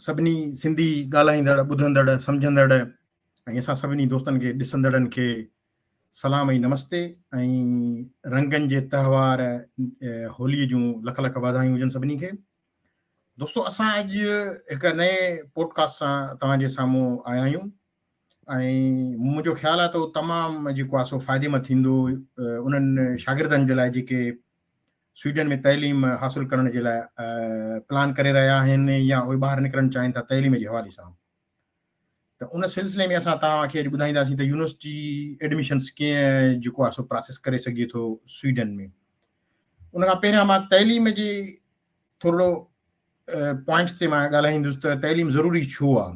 سڀني سنڌي ڳالهائيندڙ، ٻڌندڙ، سمجهندڙ ۽ اسان سڀني دوستن کي ڏسندڙن کي سلام ۽ نمستي ۽ رنگن جي تهوار هولي جون لک لک واڌايون هجن سڀني کي. دوستو اسان اڄ هڪ نئين پوڊڪاسٽ سان توهان جي سامهون آيا آهيون ۽ منهنجو خيال آهي ته اهو تمام جيڪو آهي سو فائديمند ٿيندو انهن شاگردن جي لاء جيڪي سوئيڊن ۾ تعليم حاصل ڪرڻ جي لاء پلان ڪري رهيا آهن يا اهي ٻاهر نڪرڻ چاهين ٿا تعليم جي حوالي سان ته ان سلسلي ۾ اسان توهان کي اڄ ٻڌائينداسين ته يونيورسٽي ايڊميشنس ڪيئن جيڪو آهي سو پراسيس ڪري سگهجي ٿو سوئيڊن ۾ ان کان پهريان مان تعليم جي ٿورڙو پوائنٽس تي مان ڳالهائيندس ته تعليم ضروري ڇو آهي.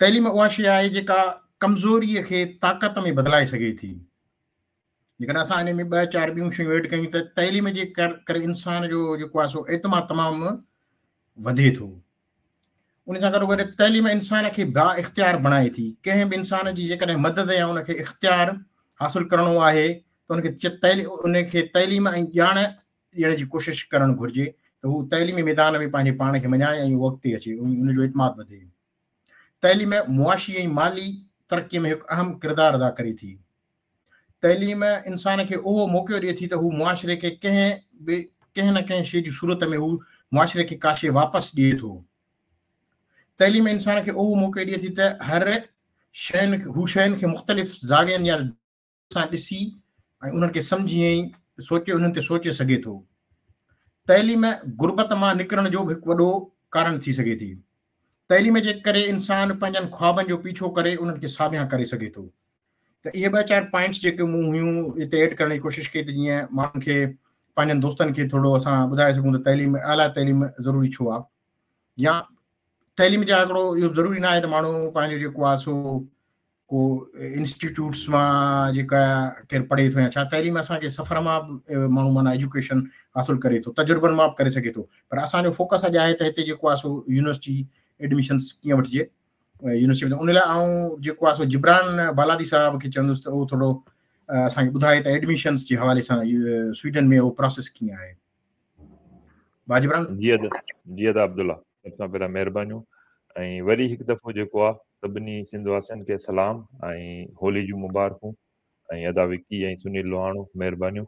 تعليم اها شيء آهي جيڪا ڪمزوري کي طاقت ۾ بدلائي سگهي ٿي. جيڪڏهن اسان ان ۾ ٻه چار ٻيون شيون ايڊ ڪيون ته تعليم جي ڪري انسان جو جيڪو آهي سو اعتماد تمام وڌي ٿو. ان سان گڏو گڏ تعليم انسان کي با اختيار بڻائي ٿي. ڪنهن به انسان جي جيڪڏهن مدد يا ان کي اختيار حاصل ڪرڻو آهي ته ان کي تعليم ۽ ڄاڻ ڏيڻ جي ڪوشش ڪرڻ گهرجي ته هو تعليمي ميدان ۾ پنهنجي پاڻ کي مڃائي ۽ اهو اڳتي اچي ۽ ان جو اعتماد وڌي. تعليم معاشي ۽ مالي ترقي ۾ هڪ اهم ڪردار ادا ڪري ٿي. تعليم انسان کي اهو موقعو ڏئي ٿي ته هو معاشري کي ڪنهن به ڪنهن نه ڪنهن شيء جي صورت ۾ هو معاشري کي ڪا شيء واپس ڏئي ٿو. تعليم انسان کي اهو موقعو ڏئي ٿي ته هر شين هو شين کي مختلف زاوين يا سان ڏسي ۽ انهن کي سمجهي ۽ سوچي انهن تي سوچي سگهي ٿو. تعليم غربت مان نڪرڻ جو به هڪ وڏو ڪارڻ ٿي سگهي ٿي. تعليم جي ڪري انسان پنهنجن خوابن جو پيڇو ڪري انهن کي ساڀيان ڪري سگهي ٿو. ته اهي ٻه چار پوائنٽس جيڪي مون هيون هتي ايڊ ڪرڻ جي ڪوشش ڪئي ته جيئن ماڻهن کي پنهنجن دوستن کي ٿورو اسان ٻڌائي سگهون ته تعليم اعليٰ تعليم ضروري ڇو آهي يا تعليم جا هڪڙو اهو ضروري نه آهي ته ماڻهو پنهنجو جيڪو آهي سو ڪو انسٽيٽيوٽس مان جيڪا ڪير پڙهي ٿو يا ڇا تعليم اسان کي سفر مان به ماڻهو معنيٰ ايجوڪيشن حاصل ڪري ٿو تجربن مان به ڪري سگهي ٿو پر اسان جو فوڪس اڄ آهي ته هتي جيڪو آهي سو يونيورسٽي ايڊميشنس ڪيئن وٺجي يونيورسٽي ۾ ان لاء آئون جيڪو آهي سو جبران بالادي صاحب کي چوندس ته اهو ٿورو اسان کي ٻڌائي ته ايڊميشنس جي حوالي سان سوئيڊن ۾ اهو پروسيس ڪيئن آهي ڀاء جبران. جي ادا جي ادا عبدالله سڀ کان پهريان مهربانيون ۽ وري هڪ دفعو جيڪو آ سڀني سنڌ واسين کي سلام ۽ هولي جون مبارڪون ۽ ادا وڪي ۽ سنيل لوهاڻو مهربانيون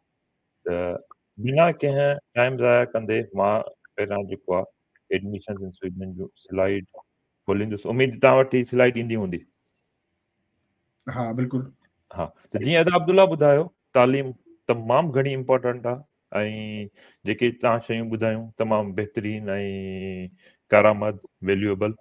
ته بنا ڪنهن ٽائيم ضايع ڪندي مان پهريان جيڪو آ ايڊميشنز ان سوئيڊن جو سلائيڊ کوليندس اميد توهان وٽ هي سلائيڊ ايندي هوندي. ها بلڪل. ها ته جيئن ادا عبدالله ٻڌايو تعليم تمام گهڻي امپورٽنٽ آ ۽ جيڪي توهان شيون ٻڌايون تمام بهترين ۽ ڪارآمد ويليوبل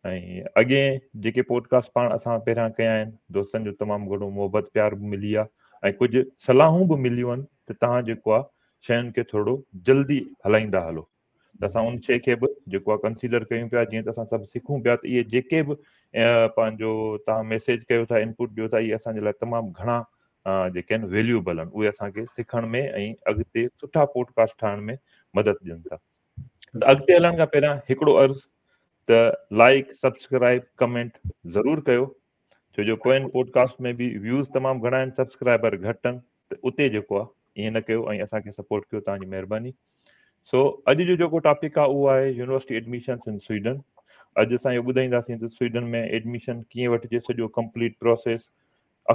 ۽ اڳين جيڪي پوڊڪاسٽ پاڻ اسان پهريان ڪيا آهن دوستن جو تمام گهڻو محبت پيار به ملي آ ۽ ڪجهه صلاحون به مليون آهن ته توهان جيڪو آ شين کي ٿورو جلدي هلائيندا هلو ته اسان ان شيء کي به جيڪو آهي ڪنسيڊر ڪيون پيا جيئن ته اسان سڀ سکون پيا ته اهي جيڪي به پنهنجو توهان ميسيج ڪيو ٿا انپوٽ ڏيو ٿا اهي اسان جي لاء تمام گهڻا جيڪي آهن ويليوبل آهن اهي اسان کي سکڻ ۾ ۽ اڳتي سٺا پوڊڪاسٽ ٺاهڻ ۾ مدد ڏين ٿا ته اڳتي هلڻ کان پهريان هڪڙو عرض ته لائڪ سبسڪرائب ڪمينٽ ضرور ڪيو ڇو جو پوئين پوڊڪاسٽ ۾ به ويوز تمام گهڻا آهن سبسڪرائبر گهٽ آهن ته اتي جيڪو آهي ائين نه ڪيو ۽ اسان کي سپورٽ ڪيو توهان جي مهرباني سو اڄ جو جيڪو ٽاپڪ آهي اهو آهي يونيورسٽي ايڊميشنس ان سوئيڊن اڄ اسان اهو ٻڌائينداسين ته سوئيڊن ۾ ايڊميشن ڪيئن وٺجي سڄو ڪمپليٽ پروسيس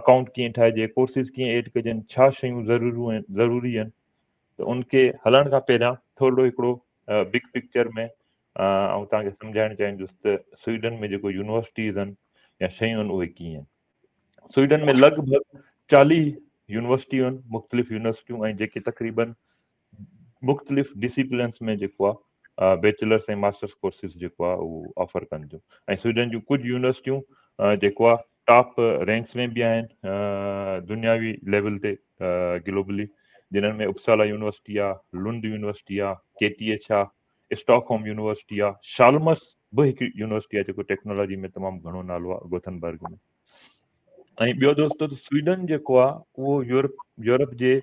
اڪائونٽ ڪيئن ٺاهجي ڪورسز ڪيئن ايڊ ڪجن ڇا شيون ضروريون آهن ضروري آهن ته ان کي هلڻ کان پهريان ٿورڙو هڪڙو بگ پڪچر ۾ آئون توهان کي سمجهائڻ چاهيندس ته سوئيڊن ۾ جيڪو يونيورسٽيز آهن يا شيون آهن اهي ڪيئن آهن سوئيڊن ۾ لڳ ڀڳ 40 يونيورسٽيون آهن مختلف يونيورسٽيون ۽ جيڪي تقريبن مختلف ڊسيپلنس ۾ جيڪو آهي بيچلرس ۽ ماسٽرس ڪورسز جيڪو آهي اهو آفر ڪن ٿيون ۽ سوئيڊن جون ڪجهه يونيورسٽيون جيڪو آهي ٽاپ رينڪس ۾ به آهن دنياوي ليول تي گلوبلي جنھن ۾ اپسالا يونيورسٽي آ لنڊ يونيورسٽي آ ڪي ٽي ايڇ آ اسٽاڪ هوم يونيورسٽي آ شالمس به هڪ يونيورسٽي آ جيڪو ٽيڪنالاجي ۾ تمام گهڻو نالو آ گوٿنبرگ ۾ ۽ ٻيو دوستو ته سوئيڊن جيڪو آ اهو يورپ يورپ جي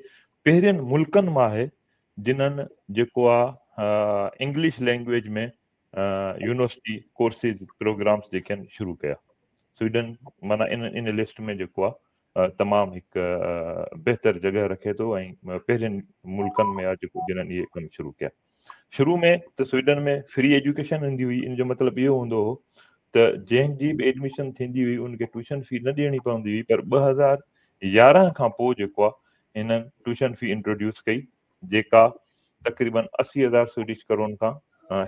پهرين ملڪن مان آهي جنھن جيڪو آ English language ۾ university courses programmes جيڪي آهن شروع ڪيا سوئيڊن معنيٰ ان ان لسٽ ۾ جيڪو آ تمام هڪ بهتر جڳهه رکي ٿو ۽ پهرين ملڪن ۾ آ جيڪو جنھن اهي ڪم شروع ڪيا. شروع ۾ ته سوئيڊن ۾ فري ايجوڪيشن هوندي هئي ان جو مطلب اهو هوندو هو ته جنهن جي به ايڊميشن ٿيندي هئي ان کي ٽيوشن في نه ڏيڻي پوندي هئي پر 2011 کان پوء جيڪو آهي هنن ٽيوشن في انٽروڊيوس ڪئي جيڪا تقريبن 80,000 سوئيڊش ڪرون کان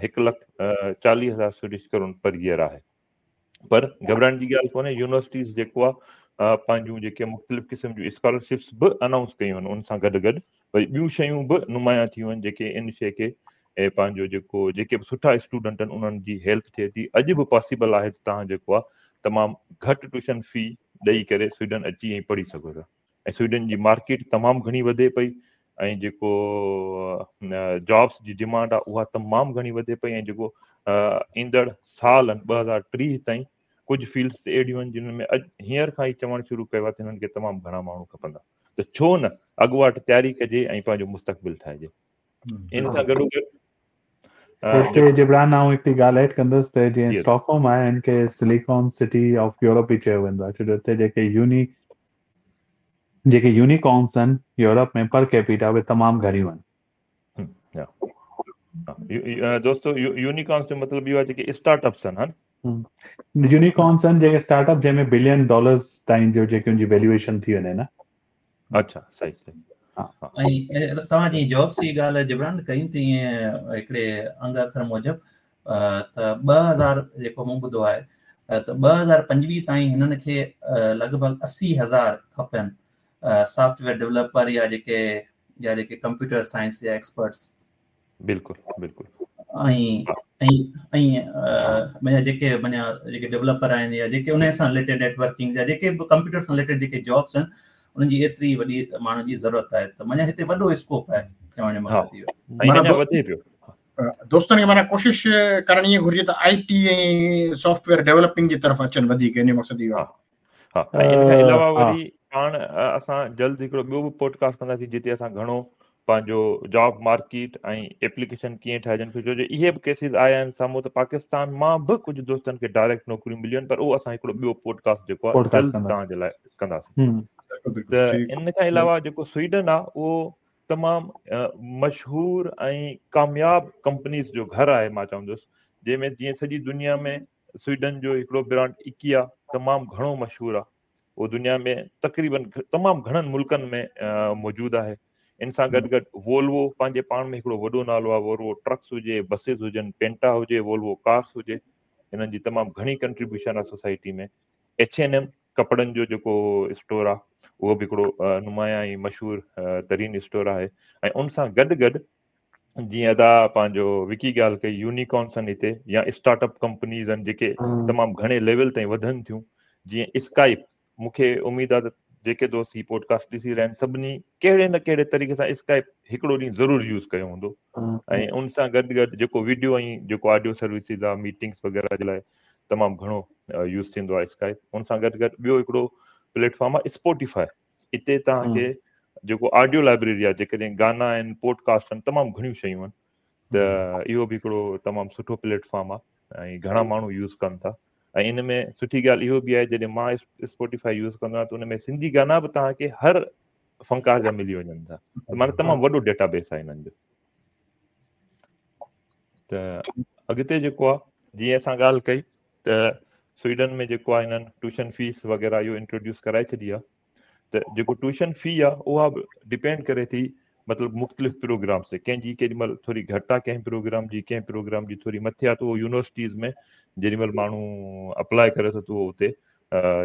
1,40,000 سوئيڊش ڪرون پر ايئر آهي. پر گهٻرائڻ جي ڳالهه ڪونهي يونيورسٽيز جيڪو آهي پنهنجون جيڪي مختلف قسم جون اسڪالرشپس به انائونس ڪيون آهن ان سان گڏ گڏ وري ٻيون شيون به نمايان ٿيون آهن جيڪي ان شيء کي پنهنجو جيڪو جيڪي به سٺا اسٽوڊنٽ آهن انهن جي هيلپ ٿئي ٿي اڄ به پاسيبل آهي ته توهان جيڪو آهي تمام گهٽ ٽيوشن في ڏئي ڪري سوئيڊن اچي ۽ پڙهي سگهو ٿا ۽ سوئيڊن جي مارڪيٽ تمام گهڻي وڌي پئي ۽ جيڪو جابس جي ڊيمانڊ آهي اها تمام گهڻي وڌي پئي ۽ جيڪو ايندڙ سال آهن 2030 تائين ڪجهه فيلڊس اهڙيون آهن جن ۾ اڄ هينئر کان ئي چوڻ شروع ڪيو آهي ته هنن کي تمام گهڻا ماڻهو کپندا ته ڇو نه اڳواٽ تياري ڪجي ۽ پنهنجو مستقبل ٺاهجي ان سان گڏو گڏ هتي جبران آئون هڪڙي ڳالهه ايڊ ڪندس ته جيئن اسٽاڪهوم آهي هن کي سليڪان سٽي آف يورپ به چيو ويندو آهي ڇو جو هتي جيڪي يوني جيڪي يونيڪارنس آهن يورپ ۾ پر ڪيپيٽا اهي تمام گهڻيون آهن. دوستو يونيڪارنس جو مطلب اهو آهي جيڪي اسٽارٽ اپس آهن. يونيڪارنس آهن جيڪي اسٽارٽ اپ جنهن ۾ بلين ڊالرز تائين جو جيڪي ان جي ويليوئيشن ٿي وڃي نه. اڇا صحيح صحيح. ۽ توهان جي جابس جي ڳالهه جبران ڪئي تيئن هڪڙي انگ اکر موجب ته 2000 جيڪو مون ٻڌو آهي ته 2025 تائين هنن کي لڳ ڀڳ 80,000 کپن سافٽ ويئر ڊولپر يا جيڪي يا جيڪي ڪمپيوٽر سائنس جا ايڪسپرٽس. بلڪل بلڪل. ۽ ۽ ۽ معنيٰ جيڪي معنيٰ جيڪي ڊولپر آهن يا جيڪي ان سان رليٽيڊ نيٽورڪنگ يا جيڪي به ڪمپيوٽر سان رليٽيڊ جيڪي جابس آهن انهن جي ايتري وڏي ماڻهن جي ضرورت آهي ته معنيٰ هتي وڏو اسڪوپ آهي چوڻ جو مقصد اهو آهي. ۽ اڃا وڌي پيو. دوستن کي معنيٰ ڪوشش ڪرڻ ائين گهرجي ته آئي ٽي ۽ سافٽ ويئر ڊيولپنگ جي طرف اچن وڌيڪ ان جو مقصد اهو آهي. ها ۽ ان کان علاوه وري پاڻ اسان جلد هڪڙو ٻيو به پوڊڪاسٽ ڪنداسين جتي اسان گهڻو پنهنجو جاب مارڪيٽ ۽ ايپليڪيشن ڪيئن ٺاهجن ڇو جو اهي به ڪيسز آيا آهن سامهون ته پاڪستان مان به ڪجهه دوستن کي ڊائريڪٽ نوڪريون مليون آهن پر اهو اسان هڪڙو ٻيو پوڊڪاسٽ جيڪو آهي جلد توهان جي لاء ڪنداسين ته ان کان علاوه جيڪو سوئيڊن آهي اهو تمام مشهور ۽ ڪامياب ڪمپنيز جو گهر آهي مان چوندس جنهن ۾ جيئن سڄي دنيا ۾ سوئيڊن جو هڪڙو برانڊ اڪيا تمام گهڻو مشهور آهي اهو دنيا ۾ تقريبن تمام گهڻن ملڪن ۾ موجود آهي ان سان گڏ گڏ وولوو پنهنجي پاڻ ۾ هڪڙو وڏو نالو آهي وولوو ٽرڪس هجي بسز هجن پينٽا هجي وولوو ڪارس هجي انهن جي تمام گهڻي ڪنٽريبيوشن آهي سوسائٽي ۾ ايڇ اين ايم ڪپڙن جو جيڪو اسٽور آهي اهو به هڪڙو نمايان ۽ مشهور ترين اسٽور آهي ۽ ان سان گڏ گڏ جيئن ادا پنهنجو وڪي ڳالهه ڪئي يونيڪارنس آهن هتي يا اسٽارٽ اپ ڪمپنيز آهن جيڪي تمام گهڻي ليول تائين وڌن ٿيون جيئن اسڪائپ مون کي اميد آهي ته جيڪي دوست هي پوڊڪاسٽ ڏسي رهيا آهن سڀني ڪهڙي نه ڪهڙي طريقي سان اسڪائپ هڪڙو ڏينهن ضرور يوز ڪيو هوندو ۽ ان سان گڏ گڏ جيڪو ويڊيو ۽ جيڪو آڊيو سروسز آهي ميٽنگس وغيره جي لاء تمام گهڻو يوز ٿيندو آهي اسڪائپ ان سان گڏ گڏ ٻيو هڪڙو پليٽ فارم آهي اسپوٽيفائي اتي توهان کي جيڪو آڊيو لائبريري آهي جيڪڏهن گانا آهن پوڊڪاسٽ آهن تمام گهڻيون شيون آهن ته اهو به هڪڙو تمام سٺو پليٽ فارم آهي ۽ گهڻا ماڻهو يوز ڪن ٿا ۽ ان ۾ سٺي ڳالهه اهو به آهي جڏهن مان اسپوٽيفائي يوز ڪندو آهيان ته ان ۾ سنڌي گانا به توهان کي هر فنڪار جا ملي وڃن ٿا معنيٰ تمام وڏو ڊيٽا بيس آهي انهن جو ته اڳتي جيڪو آهي جيئن اسان ڳالهه ڪئي ته سوئيڊن ۾ جيڪو آهي هنن ٽيوشن فيس وغيره اهو انٽروڊيوس ڪرائي ڇڏي آهي ته جيڪو ٽيوشن في آهي اها به ڊپينڊ ڪري ٿي مطلب مختلف پروگرامس تي ڪنهن جي ڪيڏي مهل ٿوري گهٽ آهي ڪنهن پروگرام جي ڪنهن پروگرام جي ٿوري مٿي آهي ته اهو يونيورسٽيز ۾ جيڏي مهل ماڻهو اپلاء ڪري ٿو ته اهو اتي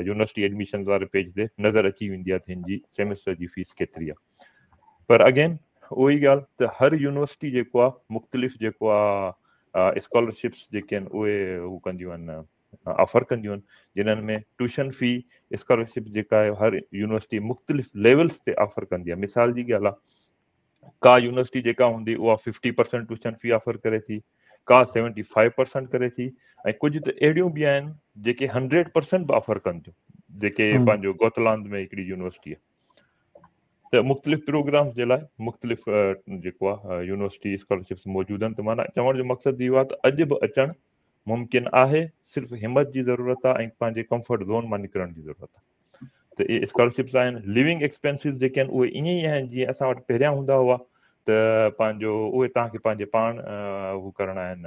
يونيورسٽي ايڊميشنز واري پيج تي نظر اچي ويندي آهي ته هن جي سيمسٽر جي فيس ڪيتري آهي پر اگين اها ئي ڳالهه ته هر يونيورسٽي جيڪو آهي مختلف جيڪو آهي اسڪالرشپس جيڪي آهن اهي هو ڪنديون آهن آفر ڪنديون آهن جنھن ۾ ٽيوشن في اسڪالرشپ جيڪا آهي هر يونيورسٽي مختلف ليولس تي آفر ڪندي آهي مثال جي ڳالهه آهي ڪا يونيورسٽي جيڪا هوندي اها 50% ٽيوشن في آفر ڪري ٿي ڪا 75% ڪري ٿي ۽ ڪجهه ته اهڙيون به آهن جيڪي 100% به آفر ڪن ٿيون جيڪي پنهنجو گوتلاند ۾ هڪڙي يونيورسٽي آهي ته مختلف پروگرامز جي لاء مختلف جيڪو آهي يونيورسٽي اسڪالرشپس موجود آهن ته معنيٰ چوڻ جو مقصد اهو آهي ته اڄ به اچڻ ممڪن آهي صرف همت جي ضرورت آهي ۽ پنهنجي ڪمفرٽ زون مان نڪرڻ جي ضرورت آهي ته اهي اسڪالرشپس آهن ليونگ ايڪسپينسز جيڪي آهن اهي ائين ئي آهن جيئن اسان وٽ پهريان هوندا هئا ته پنهنجو اهي توهان کي پنهنجي پاڻ هو ڪرڻا آهن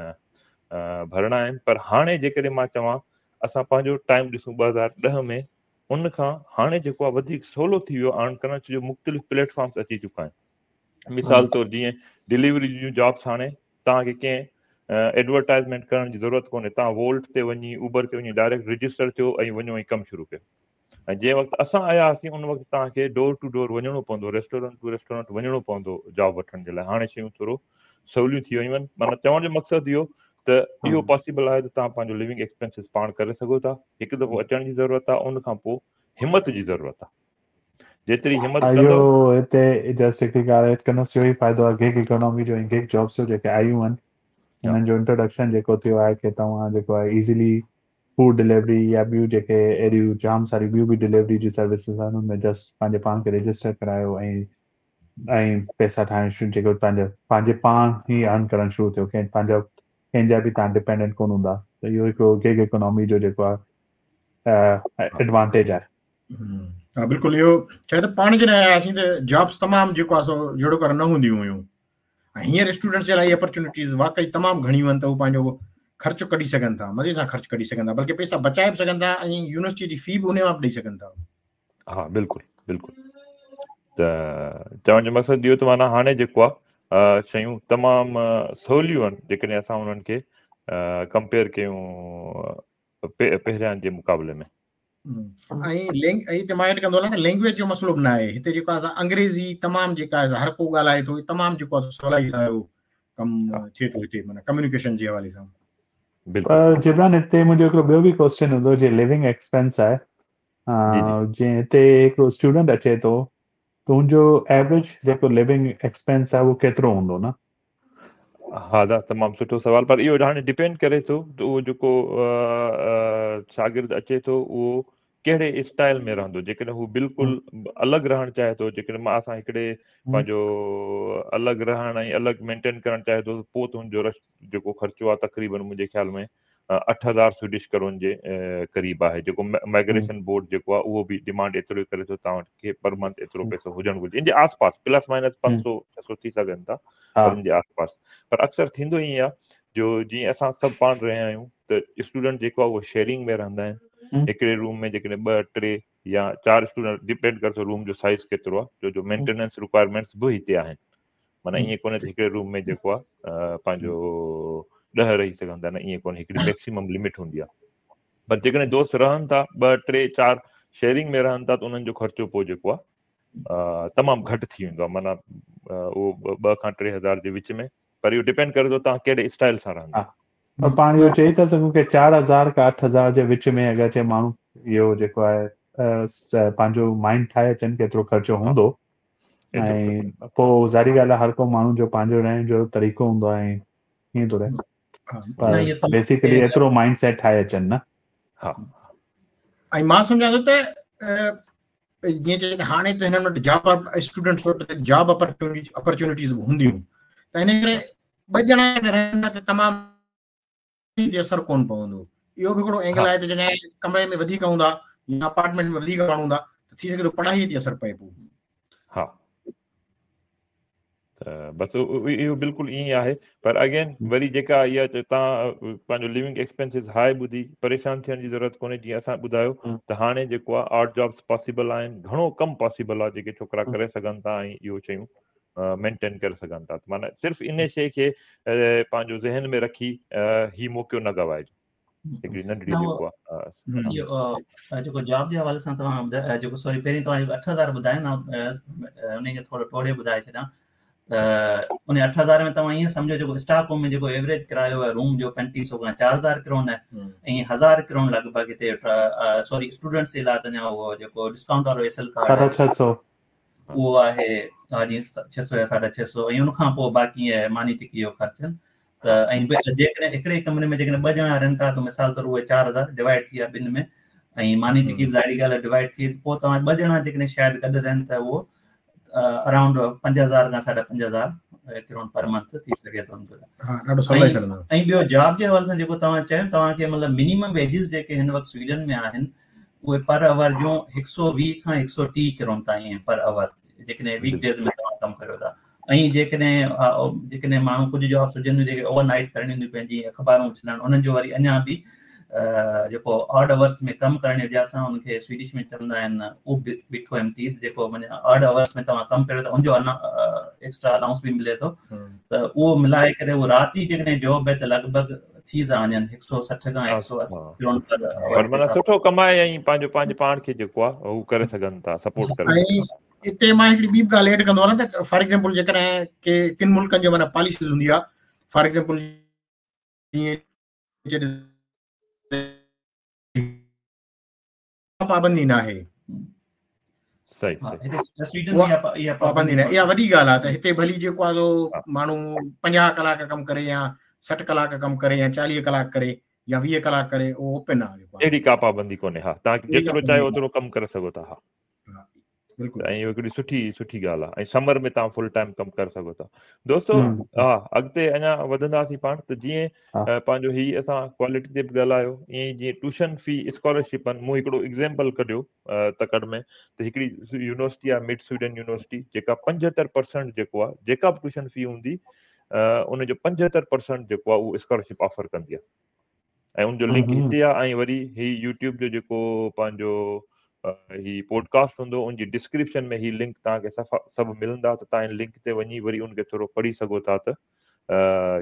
ڀرڻا آهن پر هاڻي جيڪڏهن مان چوان اسان پنهنجو ٽائيم ڏسون 2010 ۾ ان کان هاڻي جيڪو آهي وڌيڪ سولو ٿي ويو ارن ڪرڻ ڇو جو مختلف پليٽ فارمس اچي چڪا آهن مثال طور جيئن ڊليوري جون جابس هاڻي توهان کي ڪنهن ايڊورٽائزمينٽ ڪرڻ جي ضرورت ڪونهي توهان وولٽ تي وڃي اوبر تي وڃي ڊائريڪٽ رجسٽر ٿيو ۽ وڃو ۽ ڪم شروع ڪيو ۽ جنهن وقت اسان آيا هئاسين ان وقت توهان کي ڊور ٽو ڊور وڃڻو پوندو ريسٽورنٽ ٽو ريسٽورنٽ وڃڻو پوندو جاب وٺڻ جي لاء هاڻي شيون ٿورو سوليون ٿي ويون آهن معنيٰ چوڻ جو مقصد اهو ته اهو پاسيبل آهي ته توهان پنهنجو لونگ ايڪسپينسز پاڻ ڪري سگهو ٿا هڪ دفعو اچڻ جي ضرورت آهي ان کان پوء همت جي ضرورت آهي جيتري همت ڪندو اهو هتي جسٽ هڪ ڳالهه ايڊ ڪندس اهو ئي فائدو آهي گگ اڪانومي جو ۽ گگ جابس جو جيڪي آيون آهن انهن جو انٽروڊڪشن جيڪو ٿيو آهي ڪي توهان جيڪو آهي ايزيلي فوڊ ڊليوري يا ٻيون جيڪي اهڙيون جام ساريون ٻيون به ڊليوري جون سروسز آهن ان ۾ جسٽ پنهنجي پاڻ کي رجسٽر ڪرايو ۽ ۽ پئسا ٺاهڻ شروع جيڪو پنهنجو پنهنجي پاڻ ئي ارن ڪرڻ شروع ٿيو ڪنهن پنهنجو ڪنهن جا به توهان ڊپينڊنٽ ڪونه هوندا ته اهو هڪڙو گگ اڪانومي جو جيڪو آهي ايڊوانٽيج آهي. ها بلڪل اهو ڇا ته پاڻ جڏهن آياسين ته جابس تمام جيڪو آهي سو جهڙو ڪر نه هونديون هيون ۽ هينئر اسٽوڊنٽس جي لاء اهي اپرچونيٽيز واقعي تمام گهڻيون آهن ته هو پنهنجو خرچ ڪڍي سگهن ٿا مزي سان خرچ ڪڍي سگهن ٿا بلڪه پئسا بچائي به سگهن ٿا ۽ يونيورسٽي جي في به انهي مان به ڏئي سگهن ٿا. ها بلڪل بلڪل ته چوڻ جو مقصد اهو ته معنيٰ هاڻي جيڪو آهي شيون تمام سوليون آهن جيڪڏهن اسان انهن کي ڪمپيئر ڪيون پهريان جي مقابلي ۾. ۽ لينگ ۽ هتي مان ايڊ ڪندو هلان ته لينگويج جو مسئلو به نه آهي هتي جيڪو آهي انگريزي تمام جيڪا آهي هر ڪو ڳالهائي ٿو تمام جيڪو آهي سولائي سان اهو ڪم ٿئي ٿو هتي معنيٰ ڪميونيڪيشن جي حوالي سان. بلڪل جبران هتي منهنجو هڪڙو ٻيو به ڪوئسچن هوندو جي ليونگ ايڪسپينس آهي جي هتي هڪڙو اسٽوڊنٽ اچي ٿو ته ان جو ايوريج جيڪو ليونگ ايڪسپينس آهي اهو ڪيترو هوندو نه؟ ها دا تمام سٺو سوال پر اهو هاڻي ڊپينڊ ڪري ٿو ته اهو جيڪو شاگرد اچي ٿو اهو ڪهڙي اسٽائل ۾ رهندو جيڪڏهن هو بلڪل الڳ رهڻ چاهي ٿو جيڪڏهن مان اسان هڪڙي پنهنجو الڳ رهڻ ۽ الڳ مينٽين ڪرڻ چاهي ٿو پوء ته هن جو رش جيڪو خرچو آهي تقريبن منهنجي خيال ۾ 8000 سوئيڊش ڪرون جي قريب آهي جيڪو مائگريشن بورڊ جيڪو آهي اهو به ڊيمانڊ ايترو ئي ڪري ٿو توهان کي پر منٿ ايترو پئسو هجڻ گهرجي ان جي آس پاس پلس مائنس 500 600 ٿي سگهن ٿا پر ان جي آس پاس پر اڪثر ٿيندو ائين آهي جو جيئن اسان سڀ پاڻ رهيا آهيون ته اسٽوڊنٽ جيڪو آهي اهو شيئرنگ ۾ رهندا آهن هڪڙي روم ۾ جيڪڏهن ٻه ٽي يا چار اسٽوڊنٽ ڊپينڊ ڪري ٿو روم جو سائز ڪيترو آهي ڇو جو مينٽيننس رڪوائرمينٽس به هتي آهن معنيٰ ائين ڪونهي ته هڪڙي روم ۾ جيڪو آهي پنهنجو 10 رهي سگهن ٿا نه ائين ڪونهي هڪڙي ميڪسيمم لمٽ هوندي آهي پر جيڪڏهن دوست رهن ٿا ٻه ٽي چار شيئرنگ ۾ رهن ٿا ته انهن جو خرچو پوء جيڪو آهي تمام گهٽ ٿي ويندو آهي معنيٰ اهو 2 کان 3000 جي وچ ۾ پر اهو ڊپينڊ ڪري ٿو توهان ڪهڙي اسٽائل سان رهندا. پر پاڻ اهو چئي ٿا سگهون ڪي 4000 کان 8000 جي وچ ۾ اگر چي ماڻهو اهو جيڪو آهي پنهنجو مائنڊ ٺاهي اچن ڪيترو خرچو هوندو ۽ پوء ظاهري ڳالهه آهي هر ڪو ماڻهو جو پنهنجو رهڻ جو طريقو هوندو آهي ائين ٿو رهي پر بيسيڪلي ايترو مائنڊ سيٽ ٺاهي اچن نه. ها ۽ مان سمجهان ٿو ته جيئن چئجي ته هاڻي ته هنن وٽ جاب اسٽوڊنٽس وٽ جاب اپرچونيٽيز به هونديون ته ان ڪري ٻه ڄڻا رهندا ته تمام تي اثر ڪونه پوندو. اهو به هڪڙو اينگل آهي ته جڏهن ڪمري ۾ وڌيڪ هوندا يا اپارٽمينٽ ۾ وڌيڪ ماڻهو هوندا ته ٿي سگهي ٿو پڙهائي تي اثر پئي پوء. ها ته بس اهو بلڪل ائين ئي آهي پر اگين وري جيڪا اها توهان پنهنجو ليونگ ايڪسپينسز هاء ٻڌي پريشان ٿيڻ جي ضرورت ڪونهي جيئن اسان ٻڌايو ته هاڻي جيڪو آهي آڊ جابس پاسيبل آهن گهڻو ڪم پاسيبل آهي جيڪي ڇوڪرا ڪري سگهن ٿا ۽ اهو شيون مينٽين ڪري سگهن ٿا معنيٰ صرف ان شيء کي پنهنجو ذهن ۾ رکي هي موقعو نه گوائجو هڪڙي ننڍڙي جيڪو آهي اهو جيڪو جاب جي حوالي سان توهان جيڪو سوري پهرين توهان جيڪو 8000 ٻڌايو نه ان کي ٿورو ٽوڙي ٻڌائي ڇڏيان ته ان 8000 ۾ توهان ائين سمجهو جيڪو اسٽاڪ هوم ۾ جيڪو ايوريج ڪرايو آهي روم جو 3500 کان 4000 ڪرون آهي ۽ 1000 ڪرون لڳ ڀڳ هتي سوري اسٽوڊنٽس جي لاء ته اڃا اهو جيڪو ڊسڪائونٽ وارو ايس ايل ڪارڊ 650 اهو آهي ها جي 600 يا 650 ۽ ان کان پوء باقي ماني ٽڪي جو خرچ ته ۽ جيڪڏهن هڪڙي ڪمري ۾ جيڪڏهن ٻه ڄڻا رهن ٿا ته مثال طور اهي 4000 ڊوائيڊ ٿي ويا ٻن ۾ ۽ ماني ٽڪي به ظاهري ڳالهه ڊوائيڊ ٿي پوء توهان ٻه ڄڻا جيڪڏهن شايد گڏ رهن ته اهو اراؤنڊ 5000 کان 5500 ڪرون پر منٿ ٿي سگهي ٿو ۽ ٻيو جاب جي حوالي سان جيڪو توهان چيو توهان کي مطلب منيمم ويجز جيڪي هن وقت سوئيڊن ۾ آهن اهي پر اور جون 120 کان 130 ڪرون تائين آهن پر اور جيڪڏهن ويڪ ڊيز ۾ توهان ڪم ڪريو ٿا. ۽ جيڪڏهن جيڪڏهن ماڻهو ڪجهه جابس هجن جيڪي اوور نائٽ ڪرڻيون هونديون پنهنجي اخبارون اڇلڻ انهن جو وري اڃا به جيڪو آڊ اورس ۾ ڪم ڪرڻ جي وجه سان ان کي سويڊش ۾ چوندا آهن اوبڪويم تيد جيڪو معنيٰ آڊ اورس ۾ توهان ڪم ڪريو ته ان جو ايڪسٽرا الائونس به ملي ٿو ته اهو ملائي ڪري اهو رات جي جيڪڏهن جاب آهي ته لڳ ڀڳ ٿي ٿا وڃن 160 کان 180 ڪرون پر معنيٰ سٺو ڪمائي ۽ پنهنجو پنهنجي پاڻ کي جيڪو آهي هو ڪري سگهن ٿا سپورٽ ڪري سگهن ٿا. اتي مان هڪڙي ٻي به ڳالهه ايڊ ڪندو هلان ته فار ايگزامپل جيڪڏهن ڪي ڪن ملڪن جو معنيٰ پاليسيز هوندي آهي فار ايگزامپل جيئن پابندي ناهي صحيح صحيح پابندي ناهي اها وڏي ڳالهه آهي ته هتي ڀلي جيڪو آهي سو ماڻهو 50 ڪلاڪ ڪم ڪري يا 60 ڪلاڪ ڪم ڪري يا 40 ڪلاڪ ڪري يا 20 ڪلاڪ ڪري اهو اوپن آهي اهڙي ڪا پابندي ڪونهي ها توهان جيترو چاهيو اوترو ڪم ڪري سگهو ٿا ها بلڪل ۽ اهو هڪڙي سٺي سٺي ڳالهه آهي ۽ سمر ۾ توهان فل ٽائيم ڪم ڪري سگهو ٿا دوستو ها اڳتي اڃا وڌنداسين پاڻ ته جيئن پنهنجو هي اسان ڪوالٽي تي به ڳالهايو ائين ئي جيئن ٽيوشن في اسڪالرشپ آهن مون هڪڙو ايگزامپل ڪڍيو تڪڙ ۾ ته هڪڙي يونيورسٽي آهي مڊ سويڊن يونيورسٽي جيڪا 75% جيڪو آهي جيڪا به ٽيوشن في هوندي ان جو 75% جيڪو آهي اهو اسڪالرشپ آفر ڪندي آهي ۽ ان جو لنڪ هتي آ ۽ وري هي يوٽيوب جو جيڪو پنهنجو هي پوڊڪاسٽ هوندو ان جي ڊسڪرپشن ۾ هي لنڪ توهان کي صفا سڀ ملندا ته توهان ان لنڪ تي وڃي وري ان کي ٿورو پڙهي سگهو ٿا ته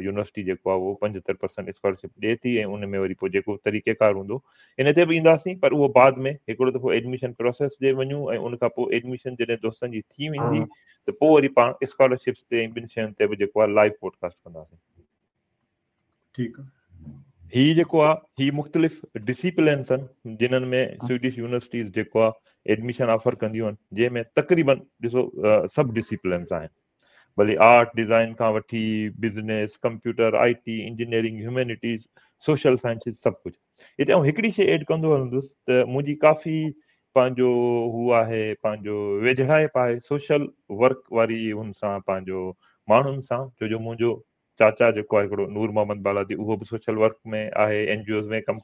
يونيورسٽي جيڪو آهي اهو 75% اسڪالرشپ ڏي ٿي ۽ ان ۾ وري پوء جيڪو طريقه ڪار هوندو ان تي به اينداسين پر اهو بعد ۾ هڪڙو دفعو ايڊميشن پروسيس ڏي وڃون ۽ ان کان پوء ايڊميشن جڏهن دوستن جي ٿي ويندي ته پوء وري پاڻ اسڪالرشپس تي ۽ ٻين شين تي به جيڪو آهي لائيو پوڊڪاسٽ ڪنداسين. ٺيڪ آ. هي جيڪو آ هي مختلف ڊسيپلينس آهن جنھن ۾ سويڊش يونيورسٽيز جيڪو آ ايڊميشن آفر ڪنديون آهن جنهن ۾ تقريبن ڏسو سڀ ڊسيپلينس آهن ڀلي آرٽ ڊيزائن کان وٺي business computer I T engineering humanities social sciences سڀ ڪجهه هتي آئون هڪڙي شي ايڊ ڪندو هلندس ته منهنجي ڪافي پنهنجو هو آهي پنهنجو ويجهڙائپ آهي سوشل ورڪ واري هن سان پنهنجو ماڻهن سان ڇو جو منهنجو چاچا جيڪو آهي هڪڙو نور محمد بالادي اهو به سوشل ورڪ ۾ آهي اين جي اوز ۾ ڪم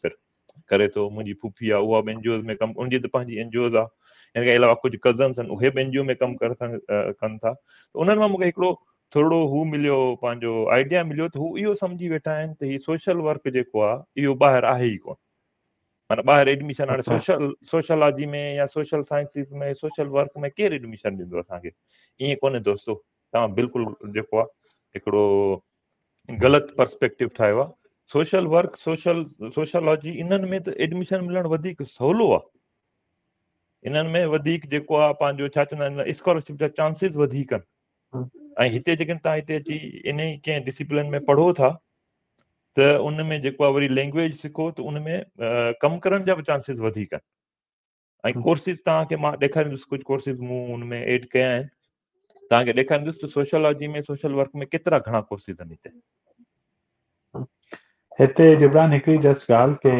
ڪري ٿو منهنجي ڦوڦي آهي اها به اين جي اوز ۾ ڪم ان جي ته پنهنجي اين جي اوز آهي ان کان علاوه ڪجهه ڪزنس آهن اهي به اين جي او ۾ ڪم ڪر ٿا ڪن ٿا ته انهن مان مونکي هڪڙو ٿورڙو هو مليو پنهنجو آئيڊيا مليو ته هو اهو سمجهي ويٺا آهن ته هي سوشل ورڪ جيڪو آهي اهو ٻاهر آهي ئي ڪونه معنيٰ ٻاهر ايڊميشن هاڻي سوشل سوشالاجي ۾ يا سوشل سائنسز ۾ سوشل ورڪ ۾ ڪير ايڊميشن ڏيندو اسان کي ائين ڪونهي دوستو توهان بلڪل جيڪو آهي هڪڙو غلط پرسپيڪٽو ٺاهيو آهي سوشل ورڪ سوشل سوشالاجي انهن ۾ ته ايڊميشن ملڻ وڌيڪ سولو آهي انهن ۾ وڌيڪ جيڪو آهي پنهنجو ڇا چوندا آهن اسڪالرشپ جا چانسز وڌيڪ آهن ۽ هتي جيڪڏهن توهان هتي اچي ان ئي ڪنهن ڊسپلن ۾ پڙهو ٿا ته ان ۾ جيڪو آهي وري لينگويج سکو ته ان ۾ ڪم ڪرڻ جا به چانسز وڌيڪ آهن ۽ ڪورسز توهان کي مان ڏيکاريندس ڪجهه ڪورسز مون ان ۾ ايڊ ڪيا آهن توهان کي ڏيکاريندس ته سوشالاجي ۾ سوشل ورڪ ۾ ڪيترا گهڻا ڪورسز آهن هتي. هتي جبران هڪڙي جسٽ ڳالهه ڪي